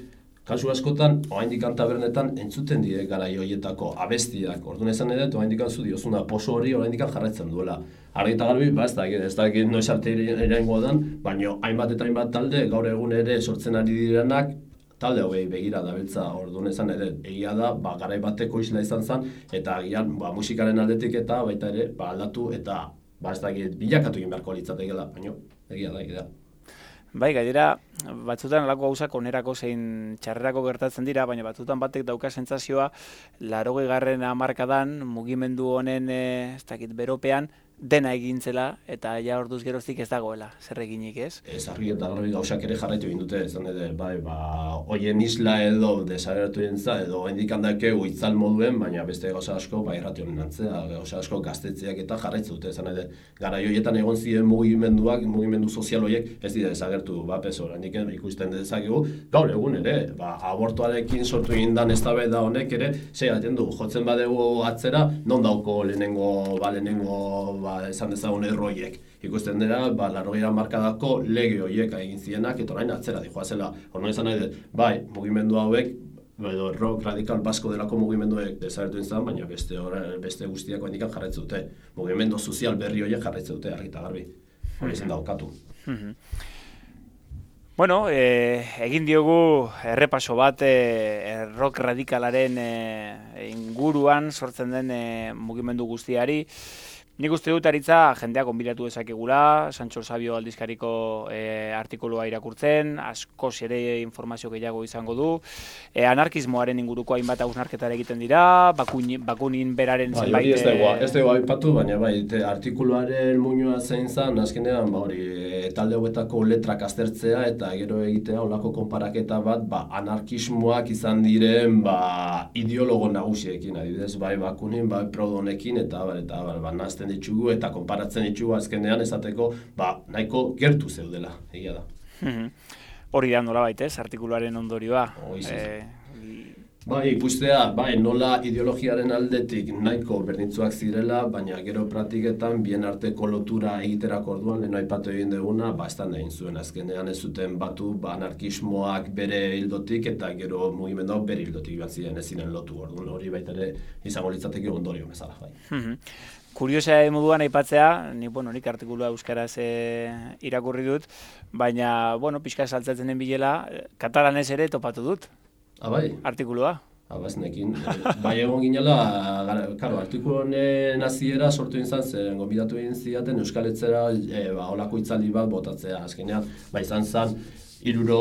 kasu askotan, oraindik tabernetan entzuten dire garai horietako abestiak. Orduan esan ere, oraindik zu diozuna poso hori oraindik jarraitzen duela. Argi eta garbi, ba, ez da, ez da, noiz arte iraingo dan, baino, hainbat eta hainbat talde, gaur egun ere sortzen ari direnak, talde hogei begira dabiltza, orduan esan ere, egia da, ba, garai bateko isla izan zen, eta agian, ba, musikaren aldetik eta baita ere, ba, aldatu eta, ba, ez da, bilakatu egin beharko litzatekeela, baina, egia da, egia da.
Bai, gainera, batzutan alako gauzak onerako zein txarrerako gertatzen dira, baina batzutan batek dauka sentsazioa, laurogei garren hamarkadan mugimendu honen, ez dakit, beropean, dena egintzela, eta ja orduz geroztik ez dagoela, zer eginik, ez? Ez,
argi eta garbi gauzak ere jarraitu egin dute, esan edo, bai, ba, hoien isla edo desagertu egintza, edo hendik handakeu itzal moduen, baina beste gauza asko, bai, errati honen antzea, gauza asko gaztetzeak eta jarraitzu dute, esan edo, gara hoietan egon ziren mugimenduak, mugimendu sozial horiek, ez dira desagertu, ba, peso, hendik ikusten dezakegu, gaur egun ere, ba, abortuarekin sortu egin dan eztabaida honek ere, sei gaten du, jotzen badegu atzera, non dauko lehenengo, ba, lehenengo, ba, esan dezagun erroiek. Ikusten dira, ba, laurogei hamarkadako lege horiek egin zienak, eta orain atzera dijoazela. Horno esan nahi dut, bai, mugimendu hauek, edo rock radikal basko delako mugimenduek desagertu izan, baina beste, beste guztiako hendikan jarraitzen dute. Mugimendu sozial berri horiek jarraitzen dute, argi eta garbi. Hori izan daukatu.
Bueno, eh, egin diogu errepaso bat eh, rock radikalaren eh, inguruan sortzen den eh, mugimendu guztiari. Nik uste dut aritza jendea konbidatu dezakegula, Sancho Sabio aldizkariko e, artikulua irakurtzen, askoz ere informazio gehiago izango du, e, anarkismoaren inguruko hainbat hausnarketara egiten dira, bakun, bakunin beraren
bai,
zenbait...
Ez dago, ez dago aipatu, baina bai, te, artikuluaren muinua zein zen, azkenean, ba, hori, e, talde hauetako letrak aztertzea eta gero egitea olako konparaketa bat, ba, anarkismoak izan diren, ba, ideologo nagusiekin, adibidez, bai, bakunin, bai, Proudonekin, eta, bar, eta, bar, ba, nazten ditugu eta konparatzen ditugu azkenean esateko, ba, nahiko gertu zeudela, egia da.
Hori da nola baitez, artikuluaren ondorioa.
E... Bai, ikustea, bai, nola ideologiaren aldetik nahiko berdintzuak zirela, baina gero praktiketan bien arteko lotura egiterako orduan, lehen aipatu egin duguna, ba, estan egin zuen azkenean ez zuten batu, ba, anarkismoak bere hildotik eta gero mugimenduak bere hildotik bat ziren ez ziren lotu orduan, hori baita ere izango litzateke ondorio bezala, bai.
Kuriosa moduan aipatzea, ni, bueno, nik artikulua euskaraz e, irakurri dut, baina, bueno, pixka saltzatzen den bilela, katalanez ere topatu dut.
Ah, bai?
Artikulua.
Abaznekin, bai egon ginela, karo, artikulu honen hasiera sortu izan zen, gonbidatu egin zidaten Euskaletzera e, ba, olako hitzaldi bat botatzea, azkenean, ba izan zen, iruro,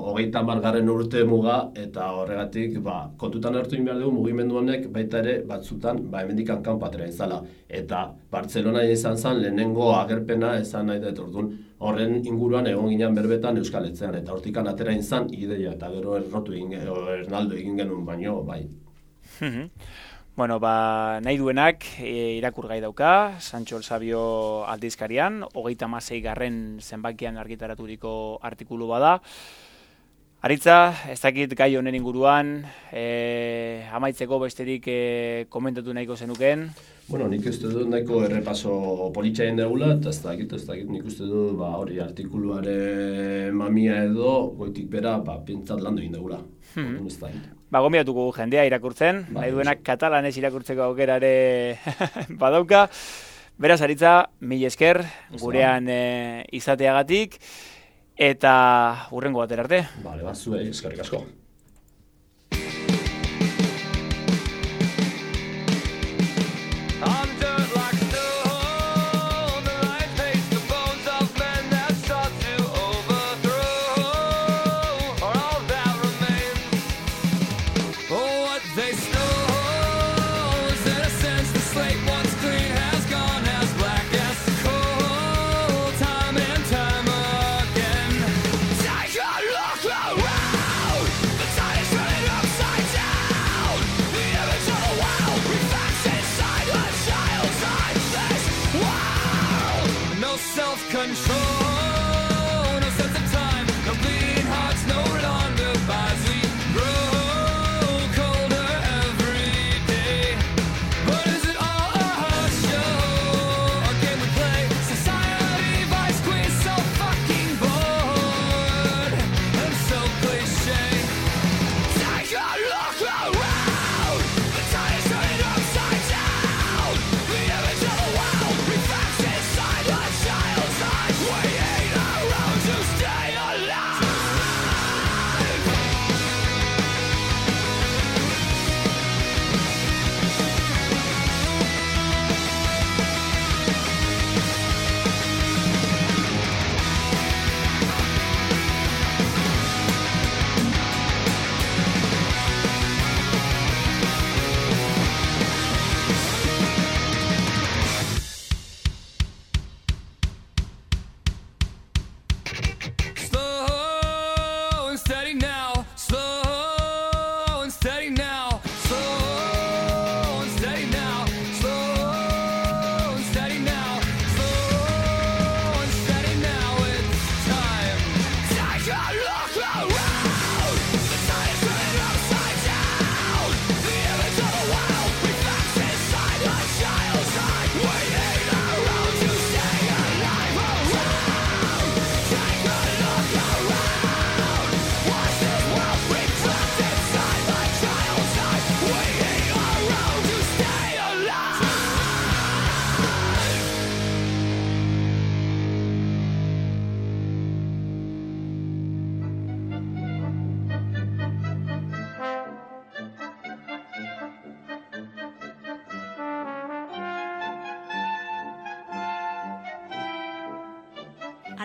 hogeita hamargarren urte muga, eta horregatik, ba, kontutan hartu egin behar dugu mugimendu honek baita ere batzutan, ba, hemendik hankan patera izala. Eta Bartzelona izan zen lehenengo agerpena esan nahi dut orduan, horren inguruan egon ginen berbetan Euskaletzean, eta hortikan atera izan ideia, eta gero errotu egin, ernaldo egin genuen baino, bai.
Bueno, ba, nahi duenak e, irakur gai dauka, Sancho el Sabio aldizkarian, hogeita hamasei garren zenbakian argitaraturiko artikulu bada. Aritza, ez dakit gai honen inguruan, e, amaitzeko besterik e, komentatu nahiko zenuken?
Bueno, nik uste dut nahiko errepaso politxaien degula, eta ez dakit, ez dakit, nik uste dut, ba, hori artikuluaren mamia edo, goitik bera, ba, pintzat landu egin degula. Hmm.
Ba, gombidatuko jendea irakurtzen, ba, nahi duenak katalanez irakurtzeko aukerare badauka. Beraz, Aritza, mil esker, gurean e, izateagatik, eta hurrengo batera arte.
Bale, bat, zuei, eskerrik asko.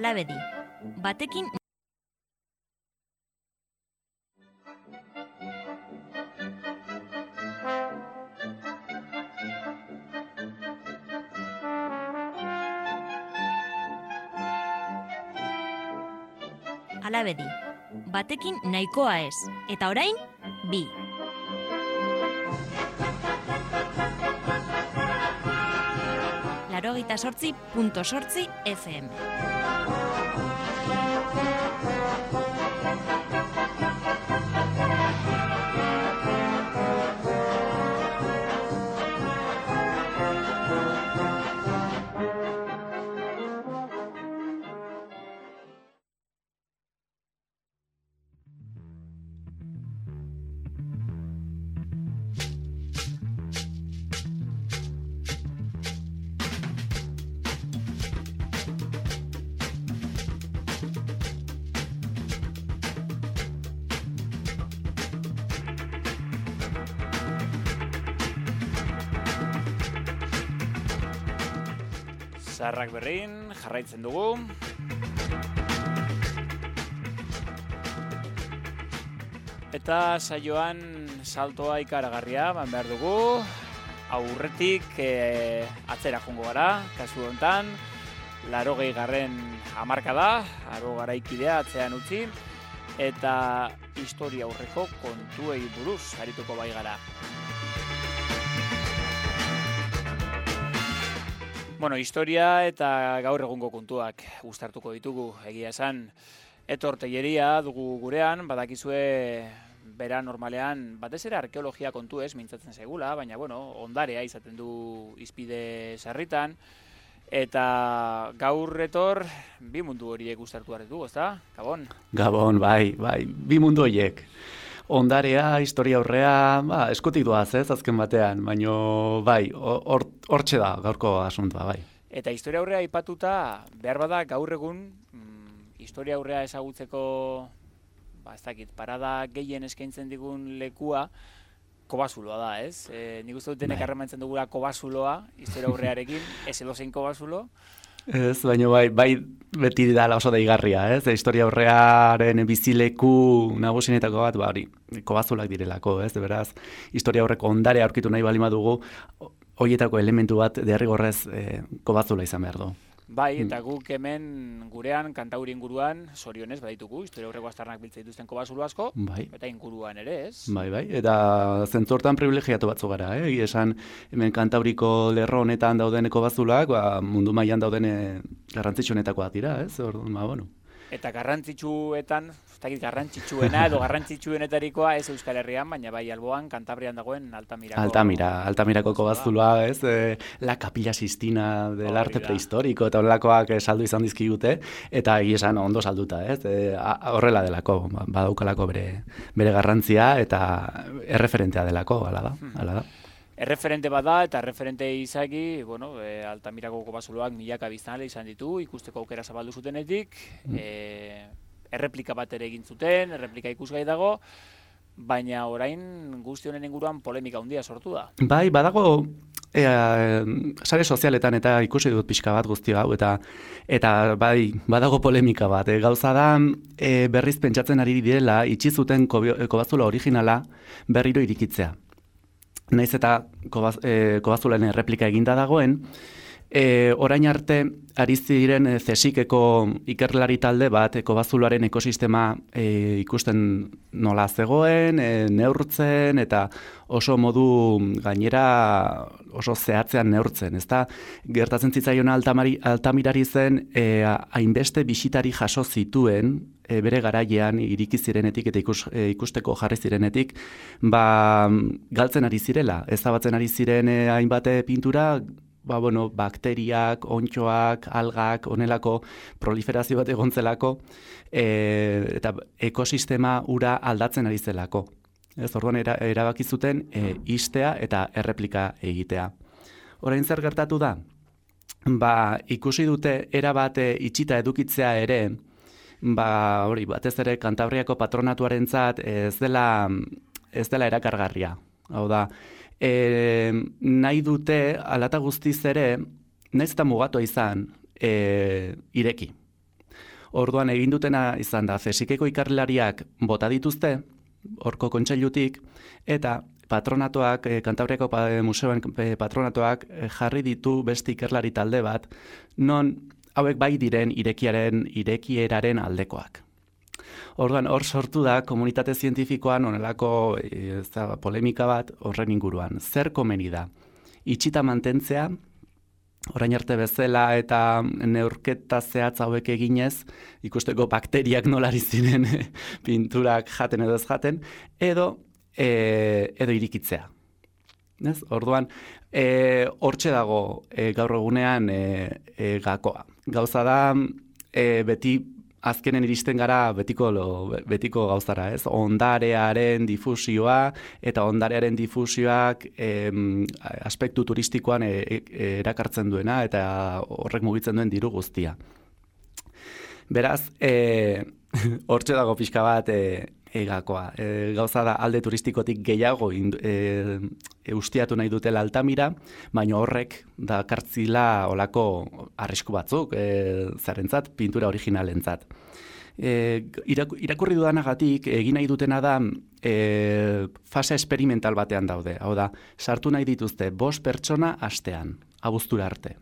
Alabedi, batekin Alabedi, batekin nahikoa ez, eta orain, bi. Laurogeita zortzi punto zortzi F M.
Zaharrak berrin, jarraitzen dugu. Eta saioan saltoa ikaragarria, ban behar dugu. Aurretik e, atzera jongo gara, kasu honetan. Larogei garren hamarka da, aro garaikidea atzean utzi. Eta historia aurreko kontuei buruz arituko bai gara. Bueno, historia eta gaur egungo kontuak uztartuko ditugu, egia esan. Etor Telleria dugu gurean, badakizue bera normalean, batez ere arkeologia kontu ez mintzatzen zaigula, baina bueno, ondarea izaten du izpide sarritan. Eta gaur Etor, bi mundu horiek uztartu hartu, ezta? Gabon?
Gabon, bai, bai, bi mundu horiek. Ondarea, historia aurrea, ba, eskutik doaz, ez, azken batean, baina bai, hortxe da gaurko asuntua, bai.
Eta historia aurrea aipatuta, behar bada gaur egun, mm, historia aurrea ezagutzeko, ba, ez dakit, parada gehien eskaintzen digun lekua, kobazuloa da, ez? E, nik uste dut denek harremantzen dugula kobazuloa, historia aurrearekin, ez edozein kobazulo.
Ez, baina bai, bai beti dala oso deigarria, ez? Historia aurrearen bizileku nagusienetako bat, ba, hori, kobazulak direlako, ez? Beraz, historia aurreko ondare aurkitu nahi balima dugu, horietako elementu bat derrigorrez e, kobazula izan behar du.
Bai, eta guk hemen gurean, kantauri inguruan, zorionez, baditugu, historia aurreko aztarnak biltzen dituzten kobazulo asko,
bai.
Eta inguruan ere, ez?
Bai, bai, eta zentzortan privilegiatu batzu gara, eh? Esan, hemen kantauriko lerro honetan dauden kobazulak, ba, mundu mailan dauden garrantzitsuenetakoak dira, ez? Orduan, ba, bueno.
Eta garrantzitsuetan, ez dakit garrantzitsuena edo garrantzitsuenetarikoa ez Euskal Herrian, baina bai alboan, Kantabrian dagoen Altamirako.
Altamira, Altamirako kobazuloa, ez? E, la Capilla Sistina del arte prehistórico, eta horrelakoak saldu izan dizkigute, eta esan ondo salduta, ez? E, horrela delako, badaukalako bere, bere garrantzia, eta erreferentea delako, hala da, hala da.
Erreferente bada eta erreferente izaki, bueno, e, Altamirako kobazuloak milaka biztanle izan ditu, ikusteko aukera zabaldu zutenetik, mm. e, erreplika bat ere egin zuten, erreplika ikusgai dago, baina orain guzti honen inguruan polemika handia sortu da.
Bai, badago e, sare sozialetan eta ikusi dut pixka bat guzti hau, eta eta bai, badago polemika bat. E, gauza da e, berriz pentsatzen ari direla, itxi zuten kobazulo originala berriro irikitzea. Naiz eta kobaz, e, kobazulen erreplika eginda dagoen, e, orain arte ari ziren e, zesikeko ikerlari talde bat e, kobazuloaren ekosistema e, ikusten nola zegoen, e, neurtzen eta oso modu gainera oso zehatzean neurtzen. Ezta gertatzen zitzaion Altamari, Altamirari zen e, hainbeste bisitari jaso zituen e, bere garaian iriki zirenetik eta ikus, e, ikusteko jarri zirenetik, ba, galtzen ari zirela, ezabatzen ari ziren e, hainbate pintura, ba, bueno, bakteriak, ontxoak, algak, onelako proliferazio bat egontzelako, e, eta ekosistema ura aldatzen ari zelako. Ez, orduan era, erabaki zuten e, istea eta erreplika egitea. Orain zer gertatu da? Ba, ikusi dute erabat itxita edukitzea ere, ba, hori, batez ere Kantabriako patronatuarentzat ez dela, ez dela erakargarria. Hau da, e, nahi dute alata guztiz ere, nahiz eta mugatua izan, e, ireki. Orduan egin dutena izan da, zesikeko ikerlariak bota dituzte, horko kontseilutik, eta patronatuak, e, Kantabriako pa, museoen e, patronatuak e, jarri ditu beste ikerlari talde bat, non hauek bai diren irekiaren, irekieraren aldekoak. Orduan, hor sortu da komunitate zientifikoan onelako e, za, polemika bat horren inguruan. Zer komeni da? Itxita mantentzea, orain arte bezala eta neurketa zehatz hauek eginez, ikusteko bakteriak nolari ziren pinturak jaten edo ez jaten, edo, e, edo irikitzea. Ez? Orduan, e, hortxe dago e, gaur egunean e, e, gakoa. Gauza da, e, beti azkenen iristen gara betiko, lo, betiko gauzara, ez? Ondarearen difusioa eta ondarearen difusioak em, aspektu turistikoan e, e, erakartzen duena eta horrek mugitzen duen diru guztia. Beraz, e, hortxe dago pixka bat e, egakoa. E, gauza da alde turistikotik gehiago in, e, e, ustiatu nahi dutela Altamira, baina horrek da kartzila olako arrisku batzuk, e, zarentzat, pintura originalentzat. E, irak, irakurri dudanagatik egin nahi dutena da e, fase experimental batean daude. Hau da, sartu nahi dituzte bost pertsona astean, abuztura arte.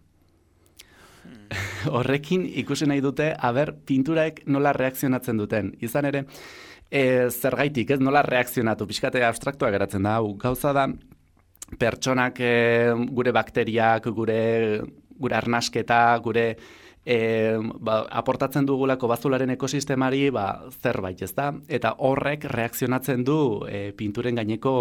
Horrekin ikusi nahi dute, aber, pinturaek nola reakzionatzen duten. Izan ere, e, zergaitik, ez nola reakzionatu, pixkate abstraktua geratzen da, hau gauza da, pertsonak e, gure bakteriak, gure, gure arnasketa, gure e, ba, aportatzen dugulako bazularen ekosistemari ba, zerbait, ez da? Eta horrek reakzionatzen du e, pinturen gaineko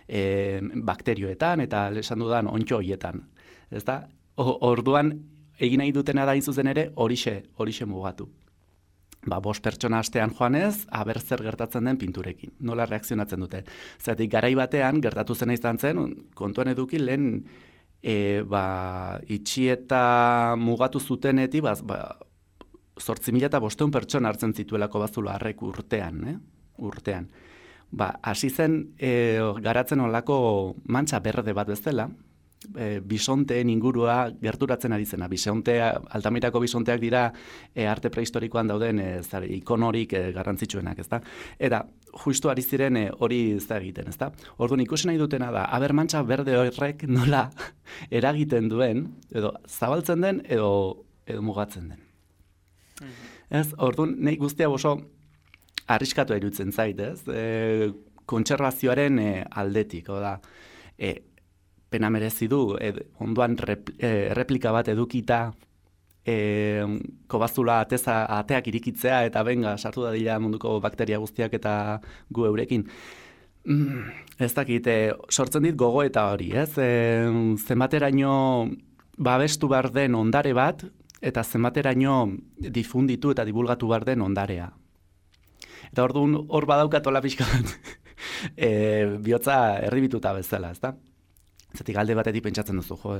e, bakterioetan eta esan dudan ontxo hoietan, ez da? Orduan, egin nahi dutena da zuzen ere horixe, horixe mugatu. Ba, bost pertsona astean joanez, aber zer gertatzen den pinturekin. Nola reakzionatzen dute. Zeratik, garai batean, gertatu zena izan zen, kontuan eduki lehen e, ba, itxi eta mugatu zutenetik, ba, ba, zortzi mila eta bosteun pertsona hartzen zituelako bazulo harrek urtean, eh? urtean. Ba, hasi zen e, garatzen olako mantxa berde bat bezala, E, bisonteen ingurua gerturatzen ari zena. Bisontea, Altamirako bisonteak dira e, arte prehistorikoan dauden e, zare, ikonorik e, garrantzitsuenak, ezta? Eta justu ari ziren e, hori ez da egiten, ezta? Orduan ikusi nahi dutena da, aber mantxa berde horrek nola eragiten duen, edo zabaltzen den, edo, edo mugatzen den. Mm-hmm. Ez, orduan, nahi guztia oso arriskatu iruditzen zait, ez? E, kontserbazioaren e, aldetik, oda, e, pena merezi du, ed, ondoan rep, e, replika bat edukita e, kobazula ateza, ateak irikitzea eta benga, sartu da dira munduko bakteria guztiak eta gu eurekin. Mm, ez dakit, e, sortzen dit gogo eta hori, ez? E, zenbateraino babestu behar den ondare bat eta zenbateraino difunditu eta divulgatu behar den ondarea. Eta orduan hor badaukatola pixka bat e, bihotza erribituta bezala, ez da? Zatik alde batetik pentsatzen duzu, jo,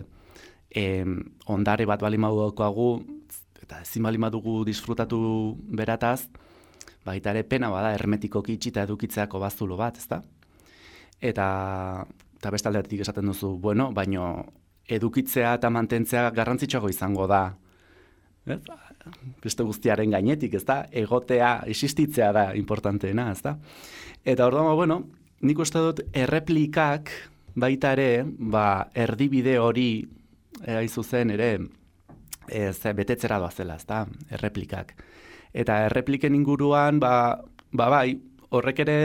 e, ondare bat bali madukoagu, eta ezin bali madugu disfrutatu berataz, baita ere pena bada hermetikoki itxita edukitzeako bazulo bat, ezta? Eta, eta beste alde batetik esaten duzu, bueno, baino edukitzea eta mantentzea garrantzitsuago izango da, ez? Beste guztiaren gainetik, ezta? Egotea, existitzea da importanteena, ezta? Eta orduan, bueno, nik uste dut erreplikak baita ere, ba, erdibide hori, hain zuzen ere, ez, betetzera doazela, ezta, erreplikak. Eta errepliken inguruan, ba, ba bai, horrek ere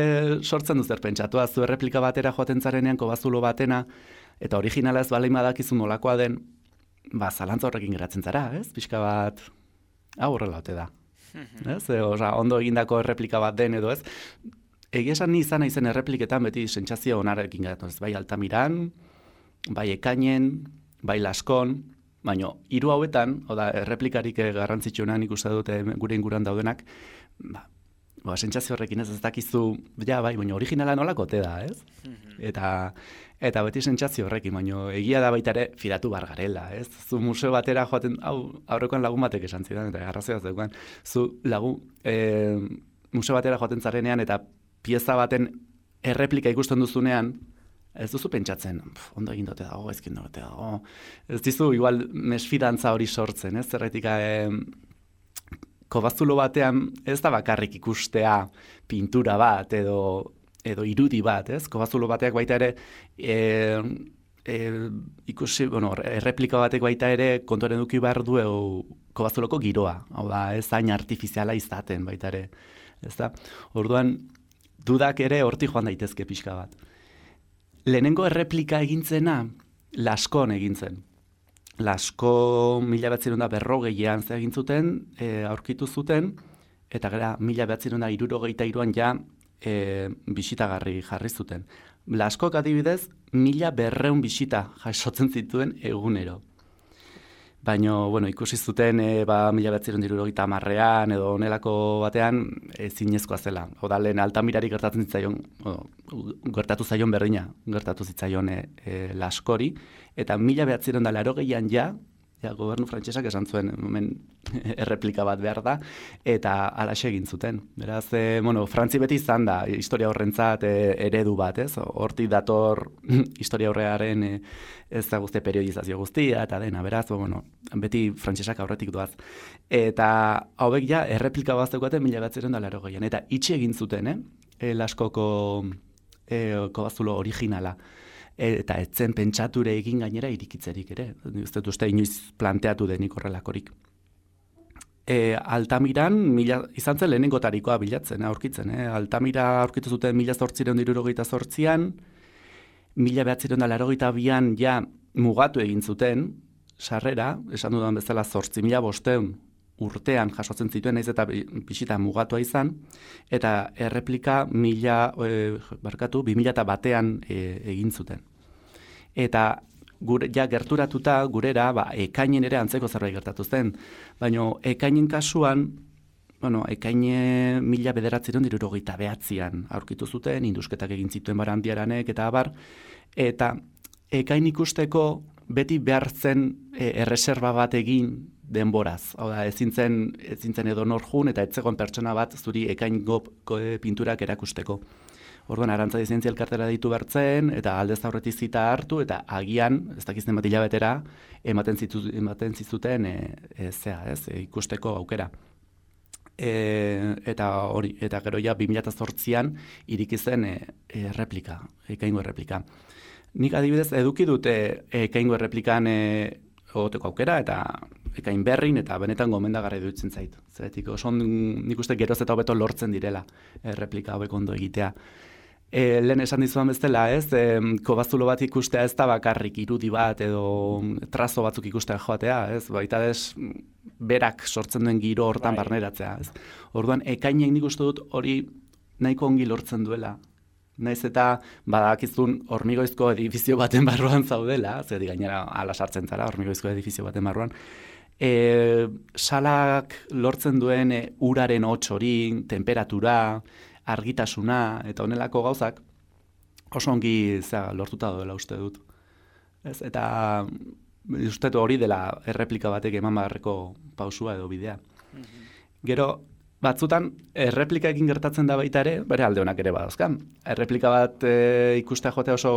sortzen du zer pentsatua, zu erreplika batera joaten zarenean, kobazulo batena, eta originala ez balein badakizu nolakoa den, ba, zalantza horrekin geratzen zara, ez? Pixka bat, hau horrela ote da. Ez? E, oza, ondo egindako erreplika bat den edo ez, egia esan ni izan naizen errepliketan beti sentsazio onarekin geratu, ez bai Altamiran, bai Ekainen, bai Laskon, baina hiru hauetan, oda erreplikarik garrantzitsuenak ikusten dute gure inguruan daudenak, ba, ba sentsazio horrekin ez ez dakizu, ja bai, baina originala nolako ote da, ez? Eta eta beti sentsazio horrekin, baina egia da baita ere fidatu bar garela, ez? Zu museo batera joaten, hau aurrekoan lagun batek esan zidan eta arrazoia zeukan, zu lagun e, museo batera joaten zarenean eta pieza baten erreplika ikusten duzunean, ez duzu pentsatzen, ondo egin dote dago, ezkin dote dago. Ez dizu, igual, mesfidantza hori sortzen, ez? Zerretik, eh, kobazulo batean ez da bakarrik ikustea pintura bat edo, edo irudi bat, ez? Kobazulo bateak baita ere, eh, eh, ikusi, bueno, erreplika batek baita ere kontuaren eduki behar du kobazuloko giroa, hau da, ez hain artifiziala izaten baita ere, ez da? Orduan, dudak ere horti joan daitezke pixka bat. Lehenengo erreplika egintzena, Laskon egintzen. Lasko mila behatzerun da berrogeian ze egin zuten, e, aurkitu zuten, eta gara mila behatzerun da irurogeita iruan ja e, bisitagarri jarri zuten. Laskok adibidez, mila berreun bisita jasotzen zituen egunero. Baina, bueno, ikusi zuten e, ba, mila behatzerun irurogeita hamarrean edo onelako batean e, zinezkoa zela. Oda lehen Altamirari gertatzen zitzaion, o, gertatu zaion berdina, gertatu zitzaion e, e, Laskori, eta mila behatzerun da larogeian ja Ja, gobernu frantsesak esan zuen, hemen erreplika bat behar da, eta alaxe egin zuten. Beraz, e, bueno, Frantzi beti izan da, historia horrentzat e, eredu bat, ez? Hortik dator historia horrearen e, ez da guzti periodizazio guztia, eta dena, beraz, bueno, beti frantsesak aurretik doaz. Eta hauek ja, erreplika bat zeukaten mila batzeren da larogeian, eta itxi egin zuten, eh? E, Laskoko e, kobazulo originala. Eta etzen pentsature egin gainera irikitzerik ere. Ez dut uste inoiz planteatu denik horrelakorik. E, Altamiran, mila, izan zen lehenengotarikoa bilatzen, aurkitzen. Eh? Altamira aurkitu zuten mila zortzireun dirurogeita zortzian, mila behatzireun da larogeita bian ja mugatu egin zuten, sarrera, esan dudan bezala zortzi mila bosteun urtean jasotzen zituen, naiz eta bisita mugatua izan, eta erreplika mila, e, barkatu, bi mila eta batean e, egin zuten. Eta gure, ja gerturatuta gurera, ba, ekainen ere antzeko zerbait gertatu zen, baina ekainen kasuan, bueno, ekaine mila bederatzireun dirurogeita behatzian aurkitu zuten, indusketak egin zituen Barandiaranek eta abar, eta ekain ikusteko beti behar zen e, erreserba bat egin denboraz. Hau da, ezin zen, ezin zen edo nor jun eta etzegoen pertsona bat zuri ekaingo pinturak erakusteko. Orduan, Arantzadi Zientzia Elkartera ditu bertzen, eta aldez aurretik zita hartu, eta agian, ez dakizten bat hilabetera, ematen, zitu, ematen zizuten e, e, zea, ez, e, ikusteko aukera. E, eta hori, eta gero ja bi mila zortzian iriki zen e, e, replika, ekaingo erreplika. Nik adibidez eduki dute ekaingo erreplikan e, egoteko aukera, eta ekain berrin, eta benetan gomendagarri dutzen zait. Zeretik, oso nik uste geroz eta hobeto lortzen direla erreplika hauek ondo egitea. E, lehen esan dizuan bezala, ez, e, kobazulo bat ikustea ez da bakarrik irudi bat edo trazo batzuk ikustea joatea, ez, baita ez berak sortzen duen giro hortan bai. Barneratzea, ez. Orduan, ekainek nik uste dut hori nahiko ongi lortzen duela. Naiz eta badakizun hormigoizko edifizio baten barruan zaudela, zedi gainera ala sartzen zara hormigoizko edifizio baten barruan, e, salak lortzen duen e, uraren hots hori, temperatura, argitasuna eta honelako gauzak oso ongi zera, lortuta doela uste dut. Ez, eta uste dut hori dela erreplika batek eman beharreko pausua edo bidea. Mm-hmm. Gero, batzutan, erreplika egin gertatzen da baita ere, bere alde honak ere badauzkan. Erreplika bat e, ikustea jotea oso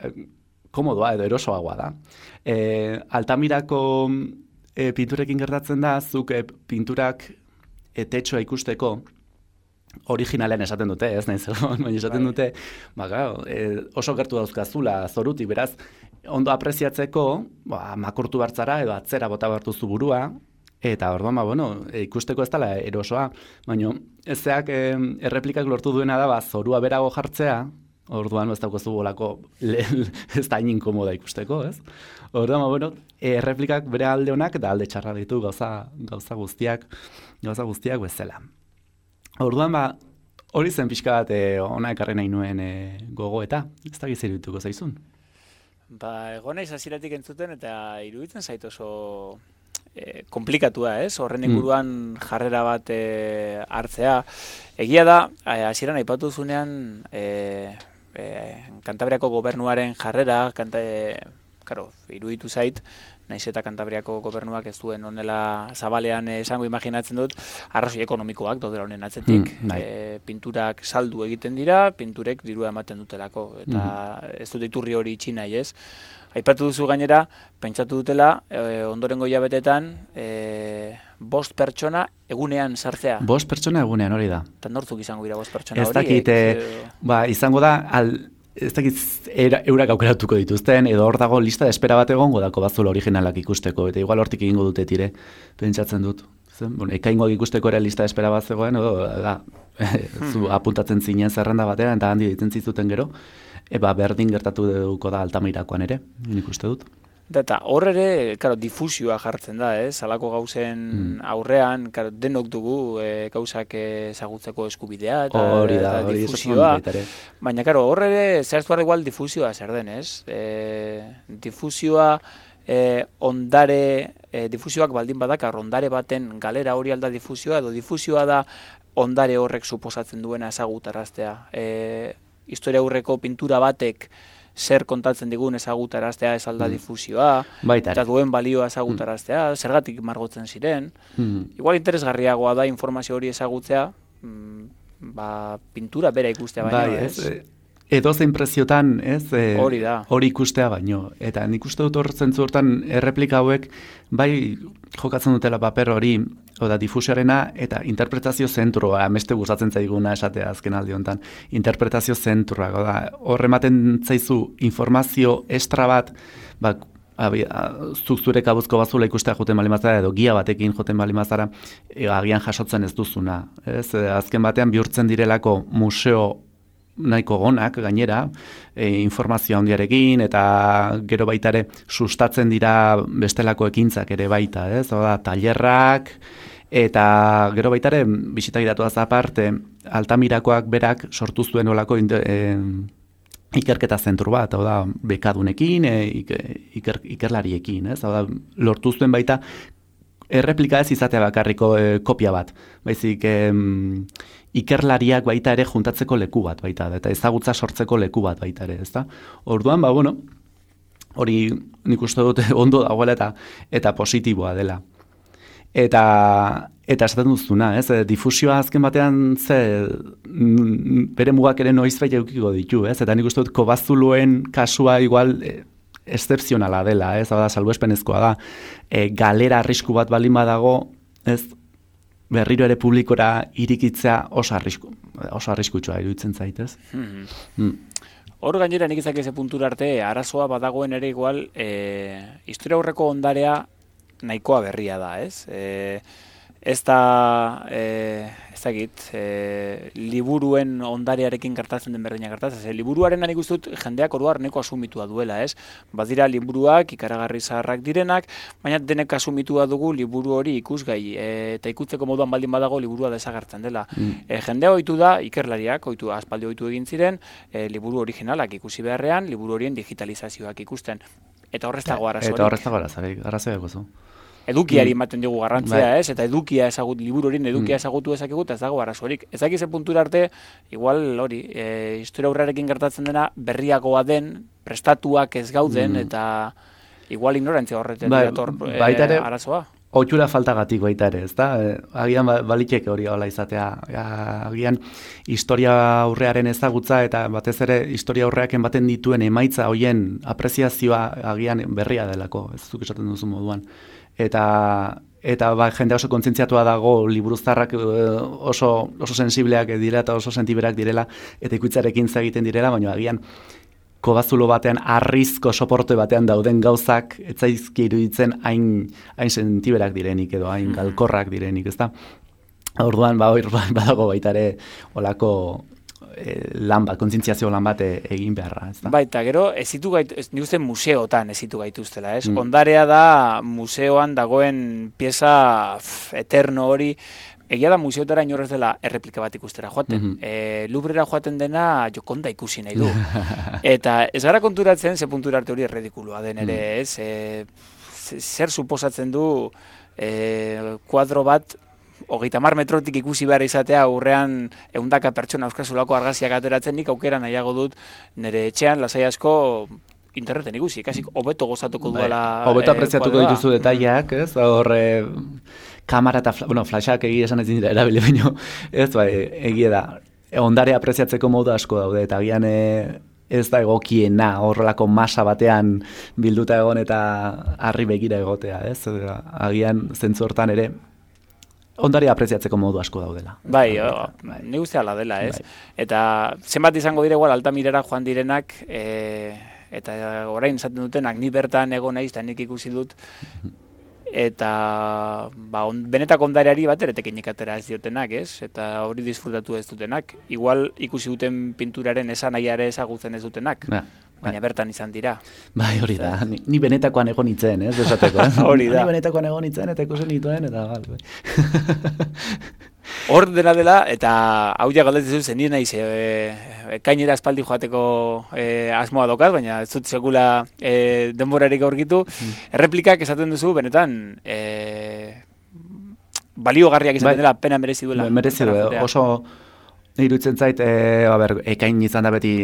e, komodoa edo erosoagoa da. E, Altamirako e, pinturekin gertatzen da, zuk e, pinturak e, tetxoa ikusteko, originalen esaten dute, ez nahi zegoen, baina esaten dute, ba, claro, e, oso gertu dauzkazula zoruti, beraz, ondo apreziatzeko, ba, makurtu bartzara edo atzera bota bartuzu burua, eta orduan, ba, bueno, e, ikusteko ez dela erosoa, baina ezeak e, erreplikak lortu duena da, ba, zorua berago jartzea, orduan ez daukazu bolako ez da hain inkomoda ikusteko, ez? Orduan, ba, bueno, erreplikak bere alde honak eta alde txarra ditu gauza, gauza guztiak, gauza guztiak bezala. Orduan, ba, hori zen pixka bat e, ona ekarri nahi nuen e, gogoeta, ez da gizeri dituko zaizun.
Ba, egon naiz hasieratik entzuten eta iruditzen zait oso e, komplikatua, ez? Horren inguruan mm. jarrera bat e, hartzea. Egia da, hasieran aipatu zunean e, e, Kantabriako gobernuaren jarrera, kanta, e, karo, iruditu zait, naiz eta Kantabriako gobernuak ez duen onela zabalean esango imaginatzen dut, arrazoi ekonomikoak daudela honen atzetik. Mm, e, pinturak saldu egiten dira, pinturek dirua ematen dutelako, eta mm. ez dut iturri hori itxi nahi, ez? Aipatu duzu gainera, pentsatu dutela, e, ondorengo hilabetetan, e, bost pertsona egunean sartzea.
Bost pertsona egunean hori da.
Eta nortzuk izango dira bost pertsona hori?
Ez dakit, e, ba, izango da, al... ez dakit eurak aukeratuko dituzten, edo hor dago lista de espera bat egongo dako bazulo originalak ikusteko, eta igual hortik egingo dute tire, pentsatzen dut. Bueno, ekaingoak ikusteko ere lista de espera bat zegoen, edo, da, zu apuntatzen zinen zerrenda batean, eta handi ditzen zizuten gero, eba berdin gertatu duko da Altamirakoan ere, nik uste dut.
Eta hor ere, karo, difusioa jartzen da, ez? Halako gauzen mm. aurrean, karo, denok dugu e, gauzak ezagutzeko eskubidea eta,
hori da,
eta
hori
difusioa. Baina, karo, hor ere, zehaztu behar igual difusioa zer den, ez? E, difusioa, e, ondare, e, difusioak baldin badakar, ondare baten galera hori alda difusioa, edo difusioa da ondare horrek suposatzen duena ezagutaraztea. E, historia aurreko pintura batek zer kontatzen digun ezagutaraztea ez alda difusioa,
Baita ere.
eta duen balioa ezagutaraztea, zergatik margotzen ziren.
Mm.
Igual interesgarriagoa da informazio hori ezagutzea, mm, ba, pintura bera ikustea baino,
Bai,
ez?
ez? Edo zein preziotan, ez? E,
Hori da.
Hori ikustea baino. Eta nik uste dut hor zentzu hortan erreplika hauek, bai jokatzen dutela paper hori, oda difusioarena, eta interpretazio zentroa, ameste gustatzen zaiguna esatea azken aldi honetan, interpretazio zentroa, oda, hor ematen zaizu informazio estra bat, ba, abi, a, zuk zure kabuzko bazula ikustea joten balimazara, edo gia batekin joten balimazara, e, agian jasotzen ez duzuna. Ez? E, azken batean bihurtzen direlako museo nahiko gonak gainera, e, informazio handiarekin eta gero baita ere sustatzen dira bestelako ekintzak ere baita, ez? Oda, tailerrak eta gero baita ere bisita gidatuaz aparte Altamirakoak berak sortu zuen olako e, ikerketa zentru bat, hau da, bekadunekin, e, iker, ikerlariekin, ez? Hau da, lortu zuen baita erreplika ez izatea bakarriko e, kopia bat, baizik e, ikerlariak baita ere juntatzeko leku bat baita, eta ezagutza sortzeko leku bat baita ere, ezta? Orduan, ba, bueno, hori nik uste dute ondo dagoela eta, eta positiboa dela. Eta, eta esaten duzuna, ez? Difusioa azken batean ze bere mugak ere noizbait edukiko ditu, ez? Eta nik uste dut kobazuluen kasua igual e, excepzionala dela, ez? Hau da, salbuespenezkoa da. E, galera arrisku bat balin badago, ez? Berriro ere publikora irikitzea oso arrisku, oso arriskutsua iruditzen zaitez.
Hmm.
Mm.
Hor gainera nik ezak eze puntura arte, arazoa badagoen ere igual, e, historia aurreko ondarea nahikoa berria da, ez? E, ez da, e, ez dakit, e, liburuen ondarearekin gertatzen den berdina gertatzen. E, liburuaren nik uste dut jendeak oruar neko asumitua duela, ez? Badira liburuak ikaragarri zaharrak direnak, baina denek asumitua dugu liburu hori ikusgai, e, eta ikutzeko moduan baldin badago liburua desagertzen dela. Mm. E, jendea ohitu da, ikerlariak, ohitu, aspaldi ohitu egin ziren, e, liburu originalak ikusi beharrean, liburu horien digitalizazioak ikusten. Eta horrez dago arazorik.
Eta horrez dago arazorik, arazorik gozu.
Edukiari ematen dugu garrantzia,
bai.
ez? Eta edukia ezagut, liburu horien edukia ezagutu ezakigu, eta ez dago arazorik. Ezak ize puntura arte, igual hori, e, historia aurrarekin gertatzen dena, berriagoa den, prestatuak ez gauden, mm. eta igual ignorantzia horretzen
bai,
dator e,
ere,
arazoa.
Ohitura faltagatik baita ere, ezta? Agian baliteke hori hola izatea. Agian historia aurrearen ezagutza eta batez ere historia aurreak ematen dituen emaitza hoien apreziazioa agian berria delako, ez zuk esaten duzu moduan. Eta eta ba, jende oso kontzientziatua dago liburuztarrak oso oso sensibleak dira eta oso sentiberak direla eta ikuitzarekin egiten direla, baina agian kobazulo batean, arrizko soporte batean dauden gauzak etzaizki iruditzen hain, hain sentiberak direnik edo hain galkorrak direnik, ezta? Orduan, ba, hor badago baita ere olako e, lan bat, kontzientziazio lan bat egin beharra, ezta?
Baita, gero, ezitu gaitu, ez, nik uste museotan ezitu gaituztela, ez? Mm. Ondarea da museoan dagoen pieza pff, eterno hori. Egia da museotara inorrez dela erreplika bat ikustera joaten. Mm -hmm. e, Lubrera joaten dena Jokonda ikusi nahi du. Eta ez gara konturatzen, ze puntura arte hori erredikulua den ere, ez? E, zer suposatzen du e, kuadro bat hogeita hamar metrotik ikusi behar izatea aurrean ehundaka pertsona euskazulako argazkiak ateratzen, nik aukera nahiago dut nire etxean lasai asko interneten ikusi, kasik hobeto gozatuko duela.
Hobeto apreziatuko e, dituzu detaileak, ez? Horre kamera eta, bueno, flashak egia esan ez dira erabili baino, ez, bai, egia da, ondare apreziatzeko modu asko daude, eta agian e, ez da egokiena, horrelako masa batean bilduta egon eta harri begira egotea, ez, agian zentzu hortan ere, ondare apreziatzeko modu asko daudela.
Bai, bai. Ni uste ala dela, ez, bai. Eta zenbat izango dire igual Altamirara joan direnak, e, eta orain esaten dutenak, ni bertan egon naiz, eta nik ikusi dut, eta ba, on, benetako ondareari bat eretekinik atera ez diotenak, ez? Eta hori disfrutatu ez dutenak. Igual ikusi duten pinturaren esan nahiare ezagutzen ez dutenak, ja, baina bertan izan dira.
Bai, hori da. Ni, ni benetakoan egon nitzen, ez? Esateko, eh?
Hori da.
Ni benetakoan egon nitzen eta ikusen nituen, eta gal.
Hor dena dela, eta hau ja galdetzen zen nien naiz, e, ekainera aspaldi joateko e, asmoa dokaz, baina ez dut sekula e, denborarik aurkitu. Mm. Erreplikak esaten duzu, benetan, e, baliogarriak izaten dela, pena merezi duela.
Merezi duela, oso iruditzen zait, e, a ber, ekain izan da beti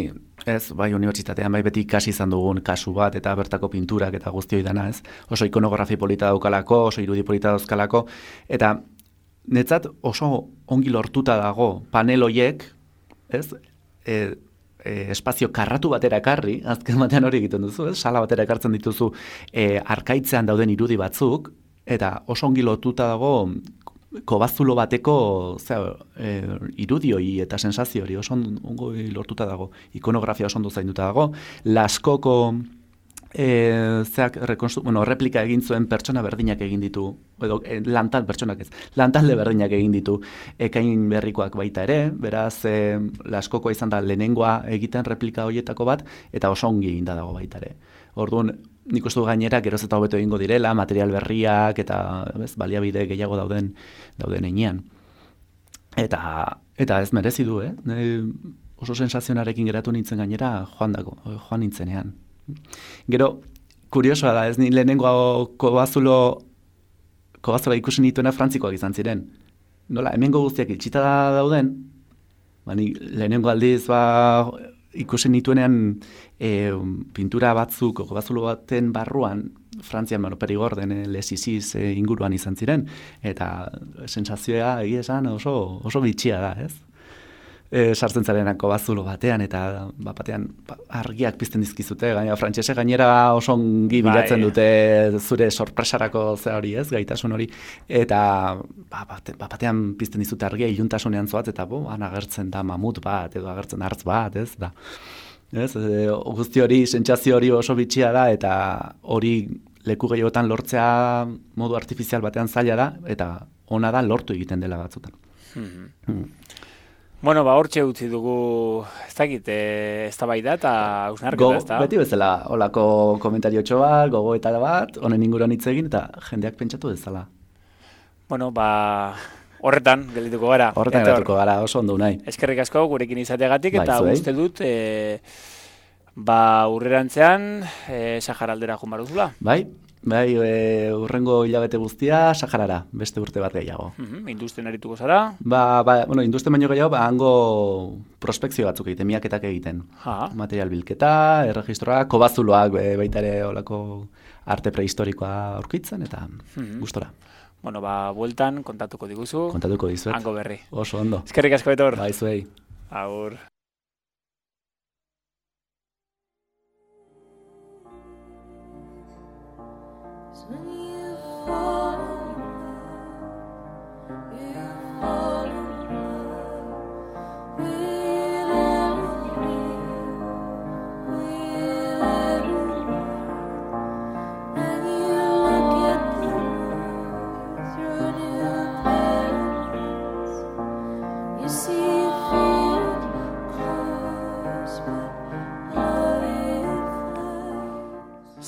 Ez, bai, unibertsitatean bai beti ikasi izan dugun kasu bat, eta bertako pinturak eta guztioi dana, ez? Oso ikonografi polita daukalako, oso irudi polita dauzkalako, eta netzat oso ongi lortuta dago panel hoiek, ez? E, e, espazio karratu batera ekarri, azken batean hori egiten duzu, ez? Sala batera ekartzen dituzu e, arkaitzean dauden irudi batzuk, eta oso ongi lotuta dago kobazulo bateko zera, e, irudioi eta sensazio hori oso ongo lortuta dago, ikonografia oso ondo zainduta dago, Laskoko e, zeak, bueno, replika egin zuen pertsona berdinak egin ditu, edo e, lantal pertsonak ez, lantalde berdinak egin ditu ekain berrikoak baita ere, beraz e, Laskokoa izan da lehenengoa egiten replika horietako bat, eta oso ongi egin da dago baita ere. Orduan, nik uste du gainera, geroz eta hobeto egingo direla, material berriak eta bez, baliabide gehiago dauden dauden heinean. Eta, eta ez merezi du, eh? Ne, oso sensazionarekin geratu nintzen gainera joan, dago, joan nintzenean. Gero, kuriosoa da, ez ni lehenengo kobazulo, kobazulo ikusi nituena frantzikoak izan ziren. Nola, hemengo guztiak itxita dauden, bani, lehenengo aldiz, ba, ikusi nituenean e, pintura batzuk, kobazulo baten barruan, Frantzian, bueno, Perigorden, e, Lesiziz e, inguruan izan ziren, eta sensazioa egia esan oso, oso bitxia da, ez? E, sartzen zarenak kobazulo batean, eta ba, batean ba, argiak pizten dizkizute, gaina frantsese gainera oso ongi bilatzen bai. Dute zure sorpresarako ze hori, ez, gaitasun hori, eta ba, bate, ba, batean pizten dizute argia iluntasunean zoaz, eta bo, han agertzen da mamut bat, edo agertzen hartz bat, ez, da. Ez, e, guzti hori, sentsazio hori oso bitxia da, eta hori leku gehiotan lortzea modu artifizial batean zaila da, eta ona da lortu egiten dela batzutan. Mm-hmm. Mm.
Bueno, ba, hortxe utzi dugu, ez dakit, ez da bai da, eta hausnarketa, ez da?
Beti bezala, holako komentario txoa, gogoeta bat, honen inguruan hitz egin, eta jendeak pentsatu dezala.
Bueno, ba, horretan geldituko gara.
Horretan geldituko gara, oso ondo nahi.
Eskerrik asko gurekin izateagatik, eta uste dut, e, ba, urrerantzean, e, Sahara aldera joan baruzula.
Bai. Bai, e, urrengo hilabete guztia Saharara, beste urte bat gehiago.
Mm-hmm, industrien arituko zara?
Ba, ba, bueno, industrien baino gehiago, ba, hango prospekzio batzuk egiten, miaketak egiten. Ha. Material bilketa, erregistroa, kobazuloak e, baita ere olako arte prehistorikoa aurkitzen, eta mm-hmm. gustora.
Bueno, ba, bueltan kontatuko diguzu.
Kontatuko dizuet.
Hango berri.
Oso ondo.
Eskerrik asko Betor.
Bai, zuei.
Agur.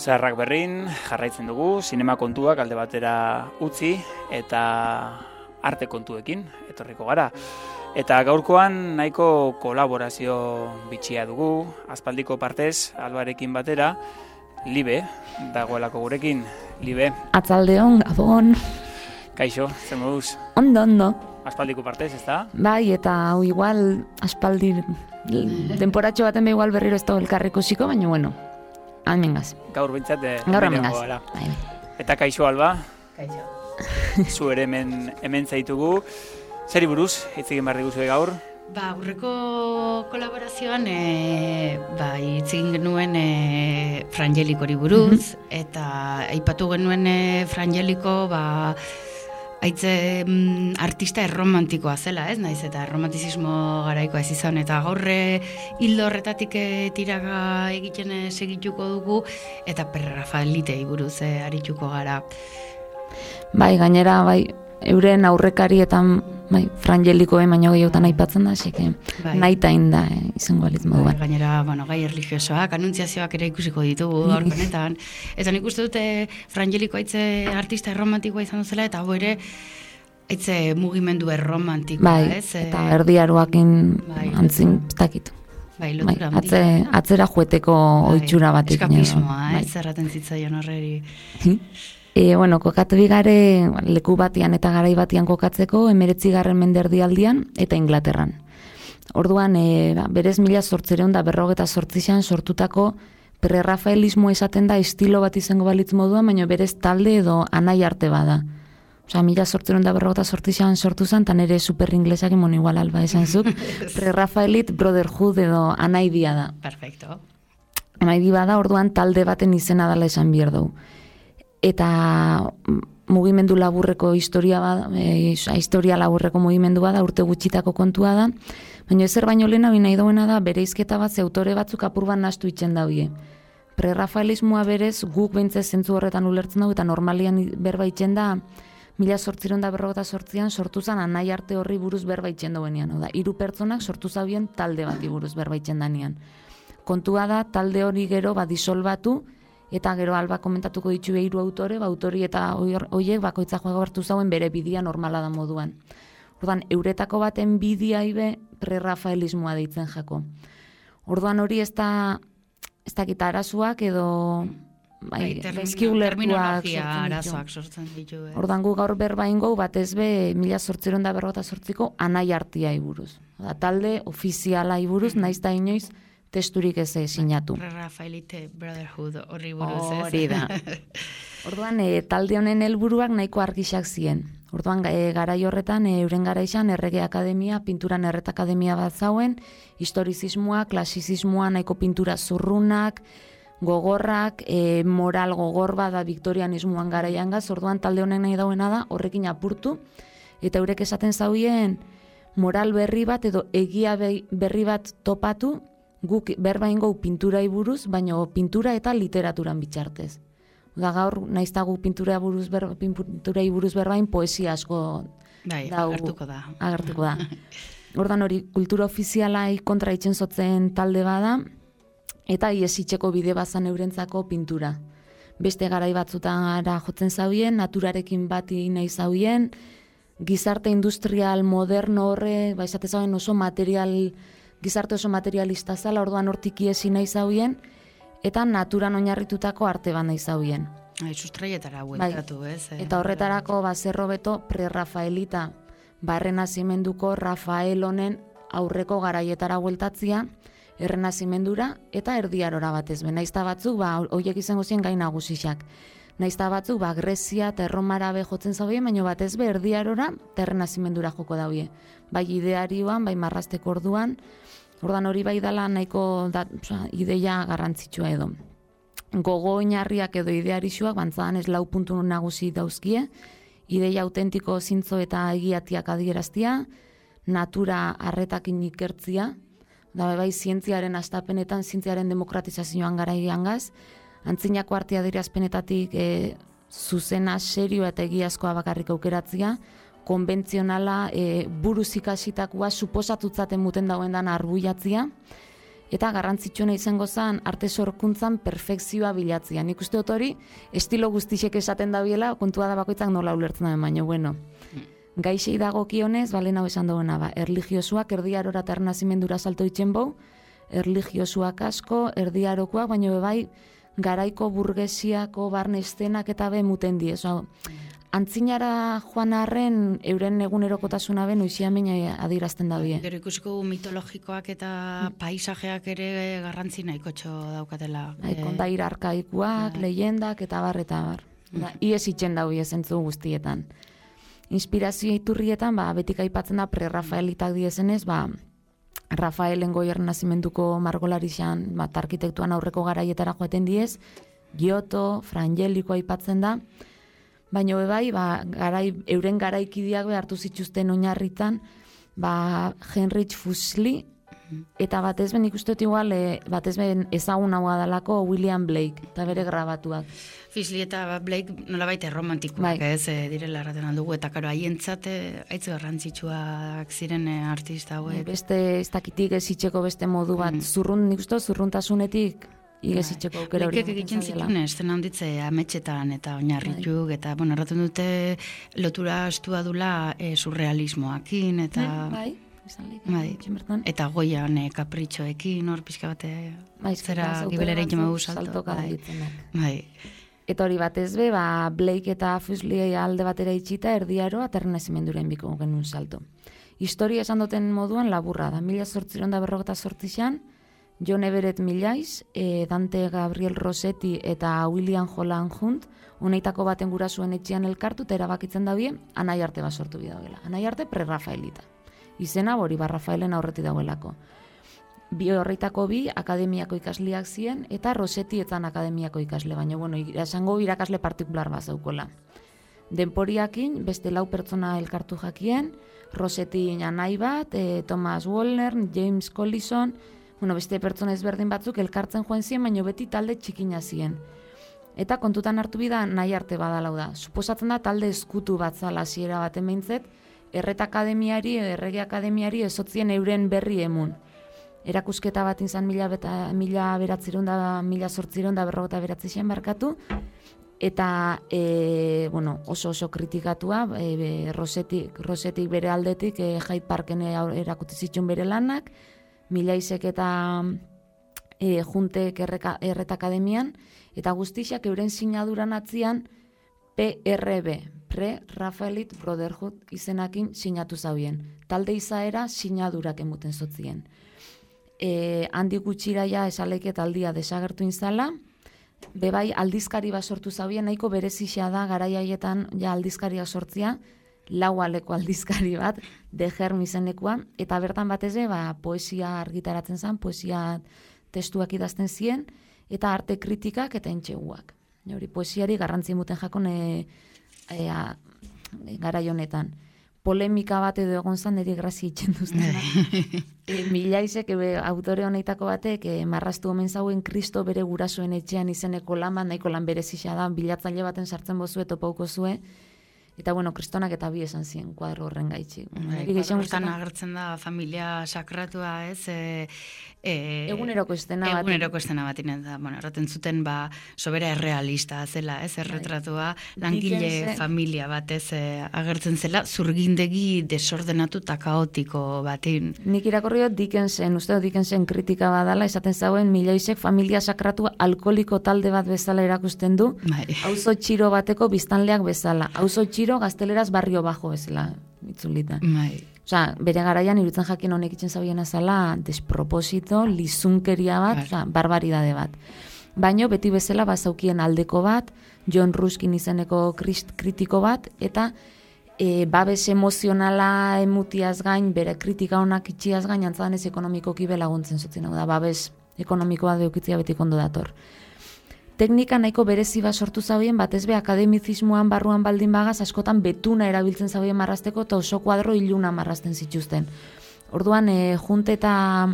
Zaharrak berrin, jarraitzen dugu, sinema kontuak alde batera utzi eta arte kontuekin etorriko gara. Eta gaurkoan nahiko kolaborazio bitxia dugu, aspaldiko partez, Albarekin batera, Libe dagoelako gurekin. Libe.
Atzaldeon, Gabon.
Kaixo, zer moduz?
Ondo, ondo.
Aspaldiko partez, ez da?
Bai, eta hau igual, aspaldi, denporatxo baten be igual berriro ez da elkarrikusiko, baina bueno. Almengaz.
Gaur bintzat.
Gaur almengaz.
Eta kaixo Alba.
Kaixo.
Zu ere hemen, hemen zaitugu. Zeri buruz, hitz egin barri guzue gaur?
Ba, aurreko kolaborazioan e, ba, hitz egin genuen e, Frangelikori buruz, mm-hmm. eta aipatu genuen e, Frangeliko ba, haitze mm, artista erromantikoa zela, ez naiz, eta erromantizismo garaikoa ez izan, eta gaurre hildo horretatik e, tiraga egiten e, segituko dugu, eta Prerafaelitei buruz e, arituko gara.
Bai, gainera, bai, euren aurrekarietan, bai, Frangelikoen baino gehiotan aipatzen da, así que bai. Nahita da eh, izango aliz moduan.
Bai, gainera, bueno, gai erlijiosoak, anuntziazioak ere ikusiko ditugu horkonetan. Eta nik uste dute Frangeliko haitze artista erromantikoa izan duzela, eta hau ere haitze mugimendu erromantikoa,
bai,
ez?
Eta erdiaruakin bai, antzin, ez dakit.
Bai, lotura
bai, atze, atzera jueteko bai, oitxura batek.
Eskapismoa, bai. Ez erraten zitzaion horreri.
E, bueno, kokatu bigare leku batian eta garai batian kokatzeko emeretzigarren menderdialdian eta Inglaterran. Orduan, e, ba, berez mila zortzireun da berrogeta zortzixan sortutako prerrafaelismo esaten da estilo bat izango balitz moduan, baina berez talde edo anai arte bada. Osa, mila zortzireun da berrogeta zortzixan sortu zen, tan ere super inglesak imon igual alba esan zuk, prerrafaelit brotherhood edo anai dia da.
Perfecto.
Anai dia bada, orduan talde baten izena dela esan behar dugu. Eta mugimendu laburreko historia bada, e, historia laburreko mugimendu bada, urte gutxitako kontua da, baina ezer baino lehena nahi dauena da, bereizketa bat ze autore batzuk apurban nahastu itzen daude. Prerrafaelismoa berez guk behintzez zentzu horretan ulertzen dugu, eta normalian berba itzen da, mila zortziron da berrogeta sortzian sortu zen anai arte horri buruz berba itzen dauenean. Oda, hiru pertsonak sortu zaubien talde bati buruz berba itzen danean. Kontua da, talde hori gero ba, disolbatu, eta gero alba komentatuko ditu hiru autore, ba, autori eta hoiek bakoitza joa hartu zauen bere bidia normala da moduan. Orduan, euretako baten bidia ibe prerrafaelismoa deitzen jako. Orduan hori ez da, ez dakit arazoak edo bai,
terminologia arazoak sortzen ditu.
Orduan gu gaur berba ingo batez be mila zortziron da berrogeta zortziko anai artia iburuz. Da, talde ofiziala iburuz, naiz da inoiz testurik ez sinatu.
Prerrafaelite Brotherhood horri buruz, ez?
Hori da. Orduan, e, talde honen helburuak nahiko argixak ziren. Orduan, e, garai horretan, e, euren garaixan errege akademia, pinturan erret akademia bat zauen, historizismoa, klasizismoa, nahiko pintura zurrunak, gogorrak, e, moral gogor bat da viktorianismoan garaian gaz, orduan talde honen nahi dauena da, horrekin apurtu, eta eurek esaten zauien moral berri bat edo egia berri bat topatu, guk berbain gau pintura buruz, baina pintura eta literaturan bitxartez. Da gaur, naizta guk pintura buruz, ber, pintura buruz berbain poesia asko
bai,
dau,
agertuko da.
Agertuko da. Ordan hori, kultura ofizialai kontra itzen zotzen talde bada, eta iesitzeko bide bazan eurentzako pintura. Beste garai batzutan ara jotzen zauen, naturarekin bati nahi zauen, gizarte industrial moderno horre, ba esate zauen oso material, gizarte oso materialista zala, orduan hortik iesi nahi zauen, eta naturan oinarritutako arte bat nahi zauen.
Ai, sustraietara bueltatu,
bai.
Ez?
Eta horretarako ba zerro beto prerrafaelita, barrenazimenduko Rafael honen aurreko garaietara bueltatzia, errenazimendura eta erdiarora batez be. Naizta batzuk ba hoiek izango zien gai nagusiak. Naizta batzuk ba Grezia eta Erromara be jotzen zaue, baina batez be erdiarora eta errenazimendura joko daue. Bai idearioan, bai marrasteko orduan, ordan hori bai dala nahiko da, oza, ideia garrantzitsua edo. Gogo oinarriak edo idearixuak bantzadan ez lau puntu nagusi dauzkie, ideia autentiko zintzo eta egiatiak adieraztia, natura arretakin ikertzia, da bai zientziaren astapenetan, zientziaren demokratizazioan garaian gaz, antzinako artea adierazpenetatik e, zuzena, serioa eta egiazkoa bakarrik aukeratzia, konbentzionala, e, buruz ikasitakoa suposatutzaten muten dauen dan arbuiatzia, eta garrantzitsuena izango zen arte sorkuntzan perfekzioa bilatzia. Nik uste dut hori, estilo guztisek esaten dabiela, kontua da bakoitzak nola ulertzen da, baina bueno. Gaixei dagokionez, balen hau esan duena, ba, erligiosuak erdiarora eta ernazimendura salto itzen bau, erligiosuak asko, erdiarokoak, baina bebai, garaiko burgesiako barne estenak eta be muten die. So, antzinara joan arren, euren egunerokotasuna ben, uixiamen adirazten da bie.
Gero ikusiko mitologikoak eta paisajeak ere garrantzi nahikotxo daukatela.
Bai, kondaira arkaikoak,
bai.
leyendak eta bar eta bar. Da, ies itxen da bie zentzu guztietan. Inspirazio iturrietan, ba, betik aipatzen da pre-Rafaelitak diezenez, ba, Rafaelen goier nazimenduko margolarixan, ba, arkitektuan aurreko garaietara joaten diez, Giotto, Frangelico aipatzen da, baina bebai, ba, garai, euren garaikideak be hartu zituzten oinarritan, ba, Heinrich Fuseli, eta batez ben ikustot igual, e, batez ben ezagun hau adalako William Blake, eta bere grabatuak.
Fuseli eta Blake nolabait erromantikoak,
bai.
Ez, e, direla erraten aldugu, eta karo, haientzat aitz garrantzitsuak ziren e, artista hauek.
Beste, ez dakitik ez itxeko beste modu bat, mm. zurrun, nik uste, zurruntasunetik, igez itxeko aukera hori.
Lekek egiten zituen esten handitze ametxetan eta oinarrituk, eta, bueno, erraten dute lotura astua dula e, surrealismoakin, eta...
Bai,
bai. Eta goian e, kapritxoekin, hor pixka bate bai, zera gibelera itxemagu salto. Bai. Bai.
Eta hori batez be, ba, Blake eta Fuseli alde batera itxita erdiaro eta errenazimenduren biko genuen salto. Historia esan duten moduan laburra da. Mila zortziron da berrogeta zortzixan, John Everett Millais, e, Dante Gabriel Rossetti eta William Holland Hunt, honeitako baten gurasuen etxean elkartu eta erabakitzen dabie, anai arte bat sortu bidauela. Anai arte pre-Rafaelita. Izena hori ba Rafaelen aurretik dagoelako. Bi horreitako bi akademiako ikasleak ziren eta Rossetti etzan akademiako ikasle, baina bueno, esango irakasle partikular bat zaukola. Denporiakin beste lau pertsona elkartu jakien, Rossetti anai bat, e, Thomas Wollner, James Collison, bueno, beste pertsona ezberdin batzuk elkartzen joan ziren, baina beti talde txikina ziren. Eta kontutan hartu bida nahi arte badalau da. Suposatzen da talde eskutu bat zala hasiera baten behintzet, erret akademiari, errege akademiari ezotzien euren berri emun. Erakusketa bat izan mila, beta, mila beratziron da, mila sortziron da berrogeta beratzizien barkatu, eta e, bueno, oso oso kritikatua, e, Rosetik, Rosetik bere aldetik, e, Hyde Parken erakutsi zituen bere lanak, Milaisek eta e, Juntek erreka, erret akademian, eta guztixak euren sinaduran atzian P R B, Pre-Raphaelite Brotherhood izenakin sinatu zaubien. Talde izaera sinadurak emuten zotzien. E, handi gutxira ja esaleke taldia desagertu inzala, bebai aldizkari bat sortu zaubien, nahiko berezixea da garaiaietan ja aldizkaria sortzia, lau aleko aldizkari bat, de Germ izenekoa, eta bertan batez ere, ba, poesia argitaratzen zen, poesia testuak idazten ziren, eta arte kritikak eta entxeguak. Hori poesiari garrantzi muten jakon e, e, garai honetan. Polemika bat edo egon zan, niri grazia itxen duzten. e, Milaisek, e, autore honeitako batek, e, marraztu omen zauen Kristo bere gurasoen etxean izeneko lan bat, nahiko lan berezisa da, bilatzaile baten sartzen bozue, topauko zue, eta bueno, kristonak eta bi esan ziren kuadro horren gaitxik.
Hortan agertzen da familia sakratua, ez? E, e,
eguneroko estena bat.
Eguneroko estena bat, da, bueno, erraten zuten ba, sobera errealista zela, ez? Erretratua, langile Dickensen, familia bat, ez? E, agertzen zela, zurgindegi desordenatu eta kaotiko batin.
Nik irakorri dut Dickensen, uste dut Dickensen kritika badala, esaten zauen Milaisek familia sakratua alkoholiko talde bat bezala erakusten du, bai. Auzo txiro bateko biztanleak bezala, auzo txiro gazteleraz barrio bajo bezala, itzulita.
Bai.
Osea, bere garaian irutzen jakin honek itzen zabiena zala desproposito, lizunkeria bat, osea, barbaridade bat. Baino beti bezala bazaukien aldeko bat, John Ruskin izeneko krist, kritiko bat, eta e, babes emozionala emutiaz gain, bere kritika honak itxiaz gain, antzadan ez ekonomikoki belaguntzen zutzen, da babes ekonomikoa deukitzia beti kondo dator. Teknika nahiko berezi bat sortu zauen, batez be akademizismoan barruan baldin bagaz, askotan betuna erabiltzen zauen marrasteko, eta oso kuadro iluna marrasten zituzten. Orduan, e, Junte eta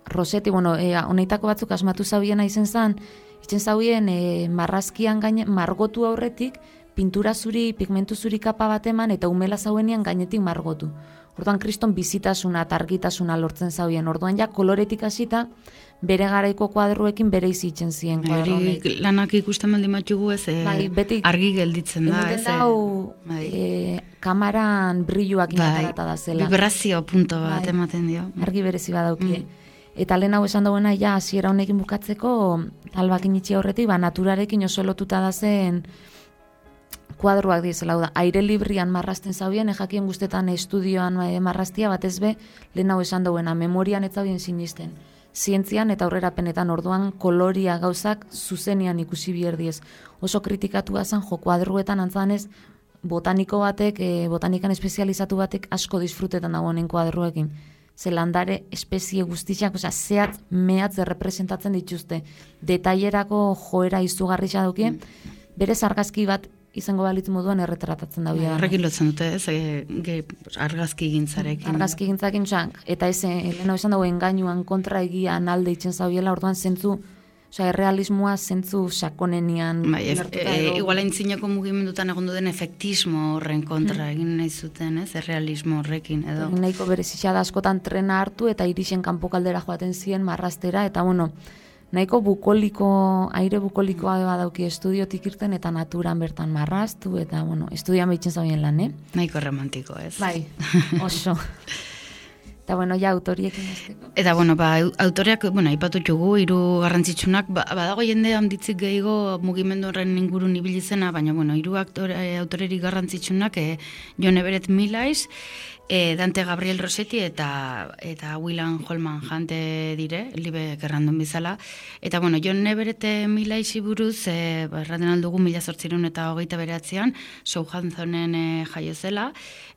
Rossetti, bueno, e, honeitako batzuk asmatu zauena izen zan, itzen zauen e, marrazkian gaine, margotu aurretik, pintura zuri, pigmentu zuri kapa bat eman, eta umela zauenean gainetik margotu. Orduan, kriston bizitasuna eta argitasuna lortzen zauen. Orduan, ja, koloretik hasita, bere garaiko kuadruekin bere izitzen ziren.
Bai, lanak ikusten baldin batxugu ez, e, bai, beti, argi gelditzen da.
Ez dau, bai. e, kamaran brilluak inatarata da zela.
Vibrazio punto bat bai. Ematen dio.
Argi berezi badauki. Mm. Eta lehen hau esan dagoena, ja, hasiera honekin bukatzeko, albakin itxi aurretik, ba, naturarekin oso lotuta da zen kuadruak dizela, da, aire librian marrasten zaubien, ejakien guztetan estudioan e, marrastia, batez be, lehen hau esan dagoena, memorian ez zaubien sinisten. Zientzian eta aurrerapenetan orduan koloria gauzak zuzenian ikusi bierdiez. Oso kritikatu zen jo kuadruetan antzanez botaniko batek, e, botanikan espezializatu batek asko disfrutetan dagoenen kuadruekin. Ze landare espezie guztiak, osea, zehatz mehatz errepresentatzen dituzte. Detailerako joera izugarri xaduki, berez argazki bat izango balitz moduan erretratatzen da bia.
Horrekin lotzen dute, ez, e, ge, argazki gintzarekin.
Argazki gintzarekin, eta ez, lehena izan dago engainuan kontra egian alde itzen zaubiela, orduan zentzu, osea, errealismoa zentzu sakonenian.
Bai, e, e, igual aintzinako mugimendutan egon duen efektismo horren kontra egin nahi zuten, ez, errealismo horrekin, edo.
Egin nahiko berezitza da askotan trena hartu eta irisen kanpokaldera joaten ziren marrastera, eta bueno, nahiko bukoliko, aire bukolikoa badauki estudiotik irten eta naturan bertan marraztu, eta, bueno, estudioan behitzen zauen lan, eh?
Nahiko romantiko, ez?
Bai, oso. Eta, bueno, ja, autoriekin azteko.
Eta, bueno, ba, autoreak, bueno, aipatu txugu, hiru garrantzitsunak, ba, badago jende handitzik gehiago mugimendu horren ingurun ibili zena, baina, bueno, hiru autorerik garrantzitsunak, eh, John Everett Millais, E, Dante Gabriel Rossetti eta eta William Holman Hunt dire, libe gerrandun bizala. Eta, bueno, John Everett Milaisi buruz, e, erraten aldugu mila zortzireun eta hogeita beratzean, Southamptonen e, jaio zela,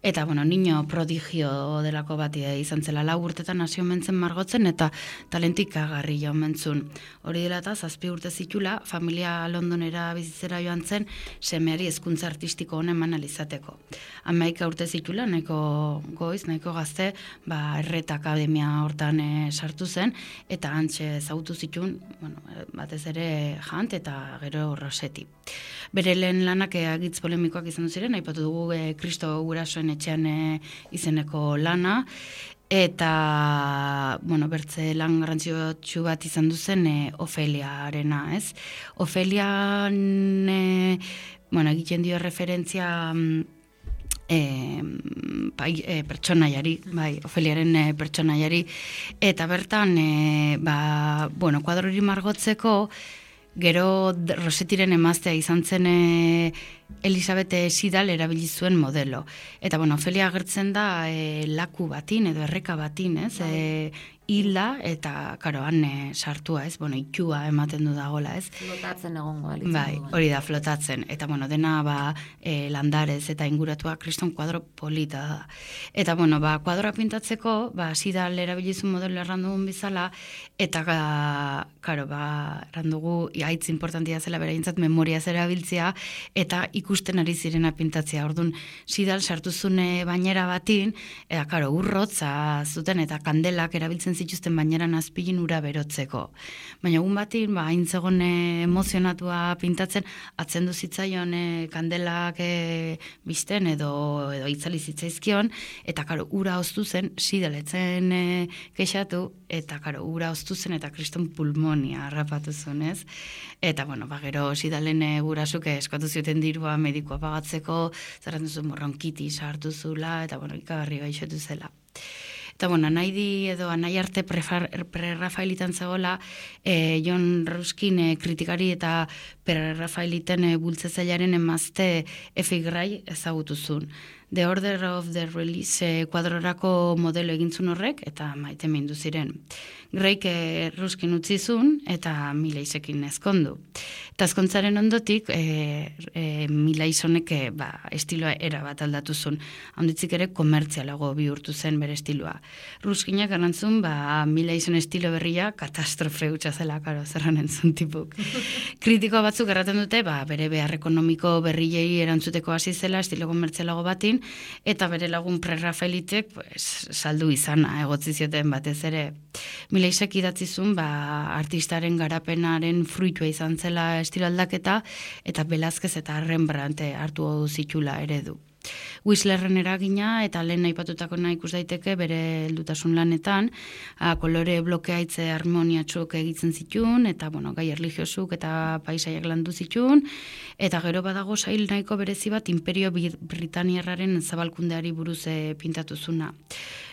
eta, bueno, niño prodigio delako bat izan zela, lau urtetan hasi omentzen margotzen, eta talentik agarri jo omentzun. Hori dela eta zazpi urte zitula, familia Londonera bizitzera joan zen, semeari hezkuntza artistiko honen eman alizateko. Hamaika urte zitula, nahiko goiz, nahiko gazte, ba, Erret Akademia hortan e, sartu zen, eta antxe zautu zitun, bueno, batez ere Hunt eta gero Rossetti. Bere lehen lanak agitz polemikoak izan ziren, aipatu dugu e, Kristo Gurasoen etxean e, izeneko lana, eta, bueno, bertze lan garrantzitsu bat izan duzen e, Ofeliarena, ez? Ofelian, e, bueno, egiten dio referentzia E, bai, e, pertsonaiari, bai, Ofeliaren e, pertsonaiari, eta bertan, e, ba, bueno, kuadrori margotzeko, gero Rossettiren emaztea izan zen e, Elisabeth Sidal erabili zuen modelo. Eta, bueno, Ofelia agertzen da e, laku batin edo erreka batin, ez? E, hilda eta, karo, han e, sartua, ez? Bueno, itxua ematen du dagola, ez?
Flotatzen egongo alitzen.
Bai, hori da, flotatzen. Eta, bueno, dena, ba, e, landarez eta inguratua kriston kuadro polita da. Eta, bueno, ba, kuadroa pintatzeko, ba, Sidal erabilizu modelo errandugun bizala, eta, ga, karo, ba, errandugu, haitz importantia zela beraintzat memoria zera biltzea, eta ikusten ari zirena pintatzea. Orduan, Sidal sartuzune bainera batin, eta, karo, urrotza zuten, eta kandelak erabiltzen zituzten baineran azpilin ura berotzeko. Baina egun batin, ba, hain zegoen emozionatua pintatzen, atzendu zitzaion e, kandelak e, bizten edo, edo itzali zitzaizkion, eta karo, ura oztu zen, Sidaletzen e, kexatu, eta karo, ura oztu zen, eta kriston pulmonia harrapatu zuen, ez? Eta, bueno, ba, gero Sidalen e, gurasuk eskatu zioten dirua medikoa pagatzeko, zerren duzu morronkiti sartu zula, eta, bueno, ikagarri gaixotu zela. Eta, bueno, nahi di edo nahi arte pre-Rafaelitan zegoela, e, John Ruskin e, kritikari eta pre-Rafaeliten e, bultzezailaren emazte Effie Gray ezagutu zuen. The Order of the Release e, kuadrorako modelo egintzun horrek, eta maite mindu ziren. Grayk e, Ruskin utzizun, eta Milaisekin ezkondu. Eta ezkontzaren ondotik, e, e, Milaisonek e, ba, estiloa era bat aldatu zuen. Handitzik ere komertzialago bihurtu zen bere estiloa. Ruskinak garantzun, ba, Milaison estilo berria katastrofe hutsa zela, karo, zerran entzun tipuk. Kritiko batzuk erraten dute, ba, bere behar ekonomiko berriei erantzuteko hasi zela, estilo komertzialago batin, eta bere lagun pre-Rafaelitek pues, saldu izana, egotzi zioten batez ere. Milaisek idatzizun, ba, artistaren garapenaren fruitua izan zela estilo aldaketa, eta Velázquez eta Rembrandt hartu zitula eredu. Whistlerren eragina eta lehen aipatutako nahi ikus daiteke bere heldutasun lanetan, a, kolore blokeaitze harmoniatxuk egiten zitun, eta bueno, gai erligiosuk eta paisaiak landu zitun, eta gero badago sail nahiko berezi bat Imperio Britaniarraren zabalkundeari buruz e, pintatuzuna.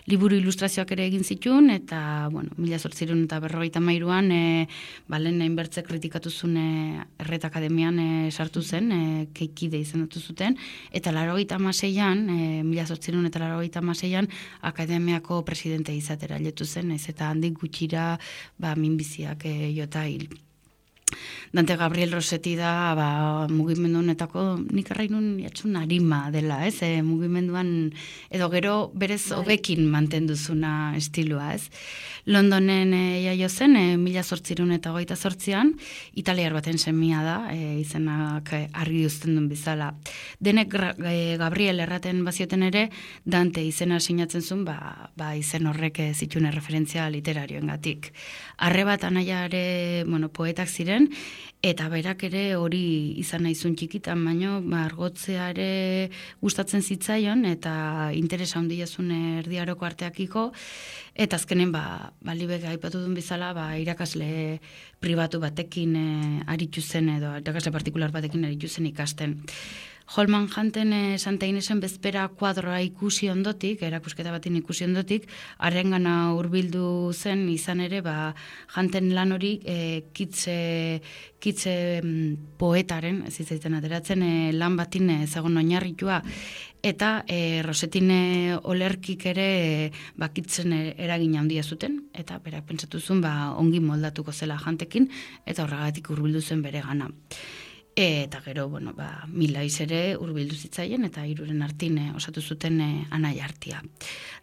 Liburu ilustrazioak ere egin zitun, eta, bueno, mila zortzireun eta berrogeita mairuan, e, balen hainbertze kritikatuzun e, Erret Akademian e, sartu zen, e, keikide izendatu zuten, eta laurogeita hamaseian, e, mila zortzireun eta laurogeita hamaseian, akademiako presidente izatera letu zen, ez eta handik gutxira, ba, minbiziak e, jota hil. Dante Gabriel Rossetti da, ba, mugimendu honetako, nik arrainun jatxun arima dela, ez? E, mugimenduan, edo gero berez hobekin mantenduzuna estilua, ez? Londonen e, jaio zen, e, mila zortzireun eta hogeita zortzian, italiar baten semia da, e, izenak argi uzten duen bizala. Denek e, Gabriel erraten bazioten ere, Dante izena sinatzen zuen, ba, ba izen horrek zitune referentzia literarioengatik. Arre bat anaiare, bueno, poetak ziren, eta berak ere hori izan naizun txikitan, baino margotzea ere gustatzen zitzaion, eta interesa handia zuen erdiaroko arteakiko, eta azkenen, ba, balibek aipatu duen bizala, ba, irakasle pribatu batekin e, aritu zen, edo irakasle partikular batekin aritu zen ikasten. Holman Hunten e, Santa Inesen bezpera kuadroa ikusi ondotik, erakusketa batin ikusi ondotik, harrengana hurbildu zen izan ere, ba, Hunten lan hori e, kitze, kitze mm, poetaren, ez izaiten ateratzen, e, lan batin e, zegoen oinarritua, eta e, Rosetine olerkik ere e, bakitzen eragin handia zuten, eta berak pentsatu zuen ba, ongi moldatuko zela jantekin, eta horregatik hurbildu zen bere gana. Eta gero, bueno, ba, Milaiz ere hurbildu zitzaien, eta hiruren artin eh, osatu zuten eh, anai artia.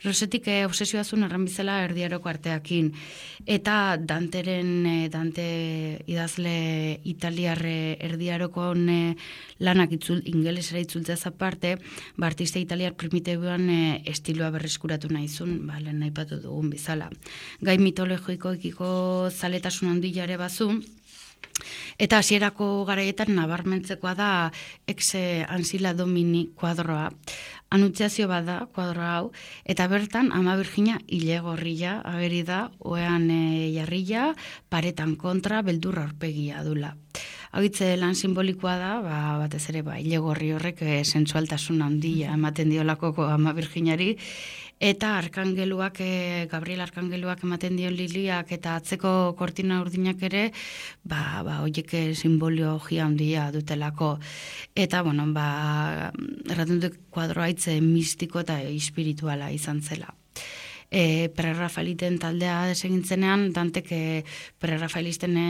Rosetik eh, obsesioa zuen erran bizela erdiaroko arteakin, eta Danteren, eh, Dante idazle italiarre erdiarokon eh, lanak itzul, ingelesera itzultzaz aparte, ba, artista italiar primitiboan eh, estiloa berreskuratu nahi zuen, ba, lehen aipatu dugun bizala. Gai mitologikoekiko zaletasun handiare bazu, eta hasierako garaietan nabarmentzekoa da exe ansila domini kuadroa. Anuntziazio bada kuadro hau, eta bertan Ama Birjina ilegorria ageri da, oean e, jarrila, paretan kontra, beldurra aurpegia dula. Agitze lan simbolikoa da, ba, batez ere ba, ilegorri horrek e, sensualtasun handia ematen diolako Ama Birjinari, eta arkangeluak, e, Gabriel arkangeluak ematen dion liliak eta atzeko kortina urdinak ere, ba, ba, oiek simbologia handia dutelako. Eta, bueno, ba, erraten dut kuadroa hitze mistiko eta espirituala izan zela. E, Prerrafaeliten taldea desegintzenean, Dantek e, prerrafaelisten e,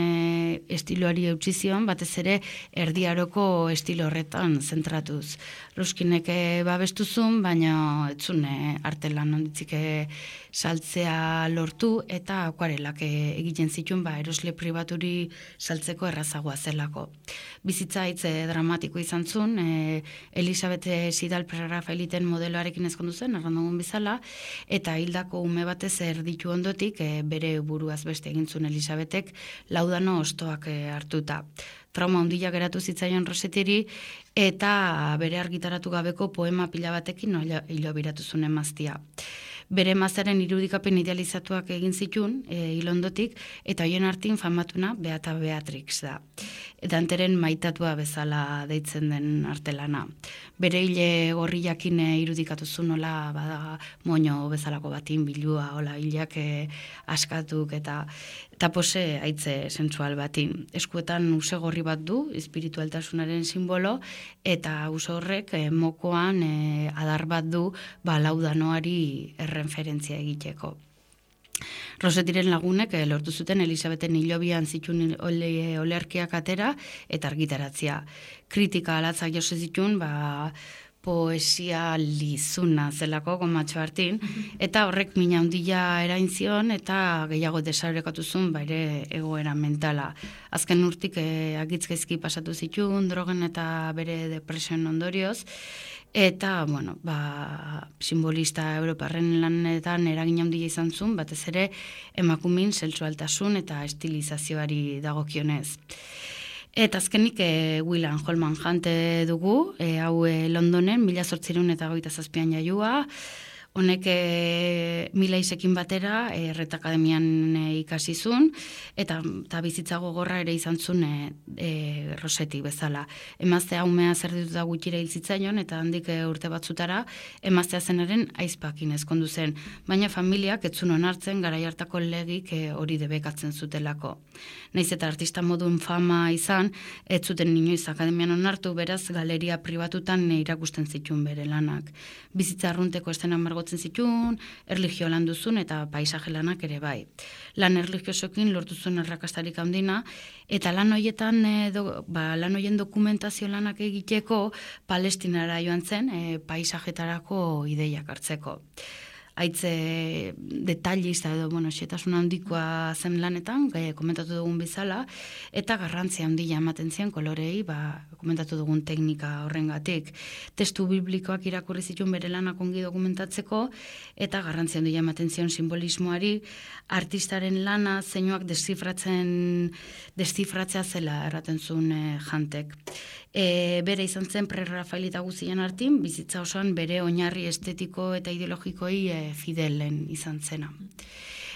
estiloari eutsi zion, batez ere erdiaroko estilo horretan zentratuz. Ruskinek e, babestuzun, baina etzun e, artelan onditzik e, saltzea lortu, eta akuarelak e, egiten zituen ba, erosle pribaturi saltzeko errazagoa zelako. Bizitza hitz e, dramatiko izan zuen, e, Elisabet Sidal Prerrafaeliten modeloarekin ezkondu zen, errandugun bizala, eta hildako ume batez erditu ondotik, e, bere buruaz beste egin zuen Elisabetek laudano ostoak e, hartuta. Trauma handia geratu zitzaion Rosetiri, eta bere argitaratu gabeko poema pila batekin hilo biratu zuen emaztia. Bere emazaren irudikapen idealizatuak egin zituen, e, hilondotik, eta hoien artin famatuna Beata Beatrix da. Danteren maitatua bezala deitzen den artelana. Bere hile gorriakin e, irudikatu zuen, hola, bada, moño bezalako batin bilua, hola, hileak e, askatuk, eta eta pose haitze sensual batin. Eskuetan use gorri bat du, espiritualtasunaren simbolo, eta use horrek e, mokoan e, adar bat du ba, laudanoari erreferentzia egiteko. Rosetiren lagunek eh, lortu zuten Elisabeten hilobian zituen ole, olerkiak atera eta argitaratzea. Kritika alatzak jose zituen, ba, poesia lizuna zelako gomatxo hartin, eta horrek mina handia erain zion, eta gehiago desarekatu zuen baire egoera mentala. Azken urtik eh, agitzgaizki pasatu zituen, drogen eta bere depresioen ondorioz, eta, bueno, ba, simbolista europarren lanetan eragin handia izan zuen, batez ere emakumin sexualtasun eta estilizazioari dagokionez. Eta azkenik e, William Holman Hunt dugu, e, hau e, Londonen, mila zortziehun eta hogeita zazpian jaiua, honek e, Milaizekin batera e, Ret Akademian e, ikasi zuen, eta, eta bizitza gogorra ere izan zuen e, e, Roseti bezala. Emaztea umea zerdituta gutxira hil zitzaion, eta handik e, urte batzutara emaztea zenaren aizpakin ezkondu zen, baina familiak ez zuen onartzen garai hartako legik e, hori debekatzen zutelako. Naiz eta artista modun fama izan, ez zuten inoiz akademian onartu, beraz galeria pribatutan e, irakusten zituen bere lanak. Bizitza arrunteko estena margotzen zituen, erlijio lan duzun eta paisaje lanak ere bai. Lan erlijiosokin lortu zuen errakastarik handina, eta lan hoietan, e, do, ba, lan hoien dokumentazio lanak egiteko Palestinara joan zen, e, paisajetarako ideiak hartzeko. Haitze detailista edo, bueno, xetasun handikoa zen lanetan, e, komentatu dugun bizala, eta garrantzia handia ematen zian kolorei, ba, komentatu dugun teknika horrengatik. Testu biblikoak irakurri zituen bere lanak ongi dokumentatzeko, eta garrantzia handia ematen zion simbolismoari, artistaren lana zeinuak deszifratzen, deszifratzea zela erraten zuen e, Jantek. E, bere izan zen prerrafaelita guzien artin, bizitza osoan bere oinarri estetiko eta ideologikoi e, fidelen izan zena.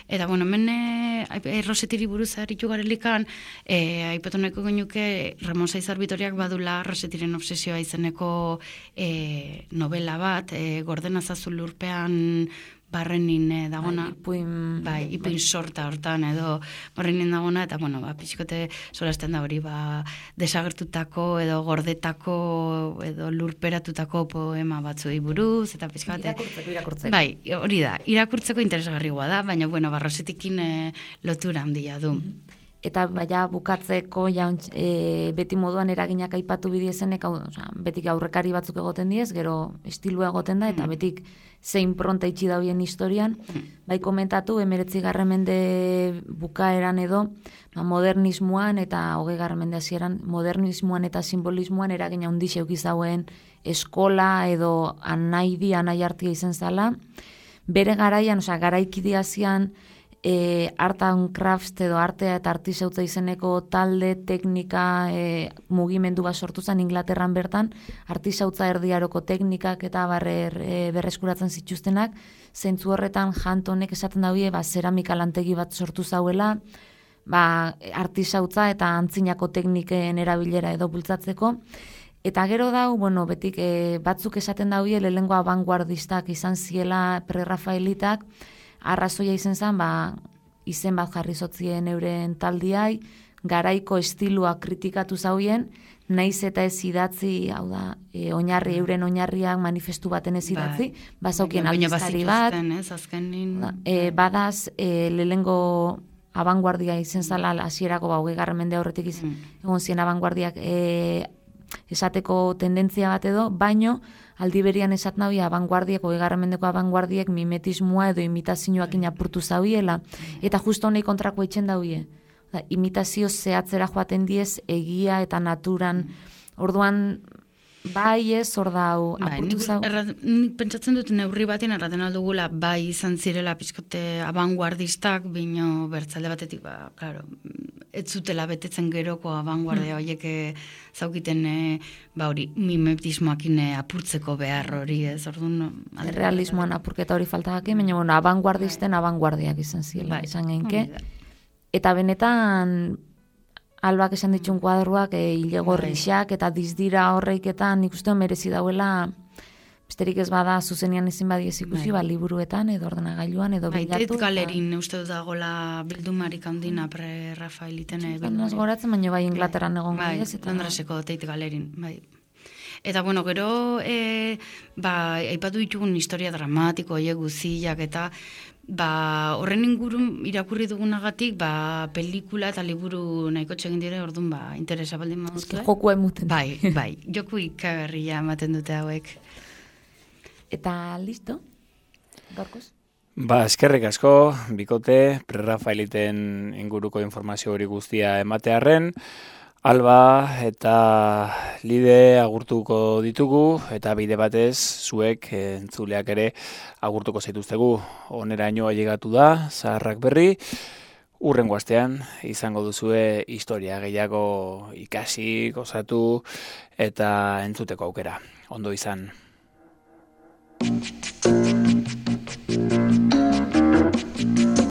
Eta, bueno, hemen e, Rosetiri buruz aritu garelikan, e, aipatu nahiko genuke Ramon Saizar Bitoriak badula Rosetiren obsesioa izeneko e, novela bat, e, Gordena Zazu lurpean barrenin eh, dagona,
Bai, ipuin,
bai, ipuin sorta hortan edo barrenin dagona, eta bueno, ba, pixkote solasten da hori, ba, desagertutako edo gordetako edo lurperatutako poema batzuei buruz, eta pixkote...
Irakurtzeko, irakurtzeko.
Bai, hori da, irakurtzeko interesgarrigoa da, baina bueno, barrosetikin eh, lotura handia du.
Eta baina bukatzeko ja, e, beti moduan eraginak aipatu bidiezenek, hau, osea, betik aurrekari batzuk egoten diez, gero estilua egoten da, eta
Mm.
betik zein pronta itxi dauen historian, bai komentatu, emeretzi garren mende bukaeran edo, ba, modernismoan eta hogei garren mende hasieran modernismoan eta simbolismoan eragina handiz eduki zauen eskola edo anaidi, anaiartia izen zala, bere garaian, osea, garaikidiazian, E, art and crafts edo artea eta artisautza izeneko talde, teknika, e, mugimendu bat sortu zen Inglaterran bertan, artisautza erdiaroko teknikak eta barrer e, berreskuratzen zituztenak, zentzu horretan Hantonek esaten daue, ba, zeramika lantegi bat sortu zauela, ba, artisautza eta antzinako tekniken erabilera edo bultzatzeko, eta gero dau, bueno, betik e, batzuk esaten daue, lehengo abanguardistak izan ziela pre-Rafaelitak, arrazoia izen zen, ba, izen bat jarri zotzien euren taldiai, garaiko estilua kritikatu zauien, naiz eta ez idatzi, hau da, e, oinarri, euren oinarriak manifestu baten ez idatzi, bazaukien aldizkari bat,
ez, azkenin,
e, badaz, e, lehengo abanguardia izen zala, hasierako ba, hogei garren mende aurretik izan, egon zien abanguardiak e, esateko tendentzia bat edo, baino, aldi berian esat nahi abanguardiek, hogei garren mendeko abanguardiek mimetismoa edo imitazioak inapurtu zauiela, eta justo honei kontrako itxen dauie. Da, imitazio zehatzera joaten diez egia eta naturan, orduan bai ez, hor dau, apurtu zau.
Nik pentsatzen dut neurri batean erraten aldugula bai izan zirela pizkote abanguardistak, bino bertzalde batetik, ba, claro, ez zutela betetzen geroko abanguardia horiek zaukiten e, ba hori mimetismoakin apurtzeko behar hori, ez, orduan
realismoan apurketa hori faltagake, baina bueno, abanguardisten abanguardiak izan ziela, izan genke. Eta benetan Albak esan ditun kuadruak, e, ilegorrixak eta dizdira horreiketan nik uste merezi dauela, besterik ez bada zuzenian ezin badiez ikusi, ba, liburuetan edo ordenagailuan edo bilatu.
Tait galerin uste dut dagoela bildumarik handina pre-Rafaeliten.
Bandaz goratzen, baina bai Inglaterran egon
bai,
gaiez.
Londreseko Tait galerin, bai. Eta bueno, gero e, ba, aipatu ditugun historia dramatiko, oie guziak eta ba, horren ingurun irakurri dugunagatik, ba, pelikula eta liburu nahiko txegin dire, orduan ba, interesa baldin mauztu.
Eske joku emuten.
Bai, bai, joku ikagarria ematen dute hauek.
Eta listo, gaurkoz?
Ba, eskerrik asko, bikote, pre-Rafaeliten inguruko informazio hori guztia ematearren, Alba eta Lide agurtuko ditugu, eta bide batez zuek entzuleak ere agurtuko zaituztegu. Oneraino ailegatu da, zaharrak berri, urrengo astean izango duzue historia gehiago ikasi, gozatu eta entzuteko aukera. Ondo izan.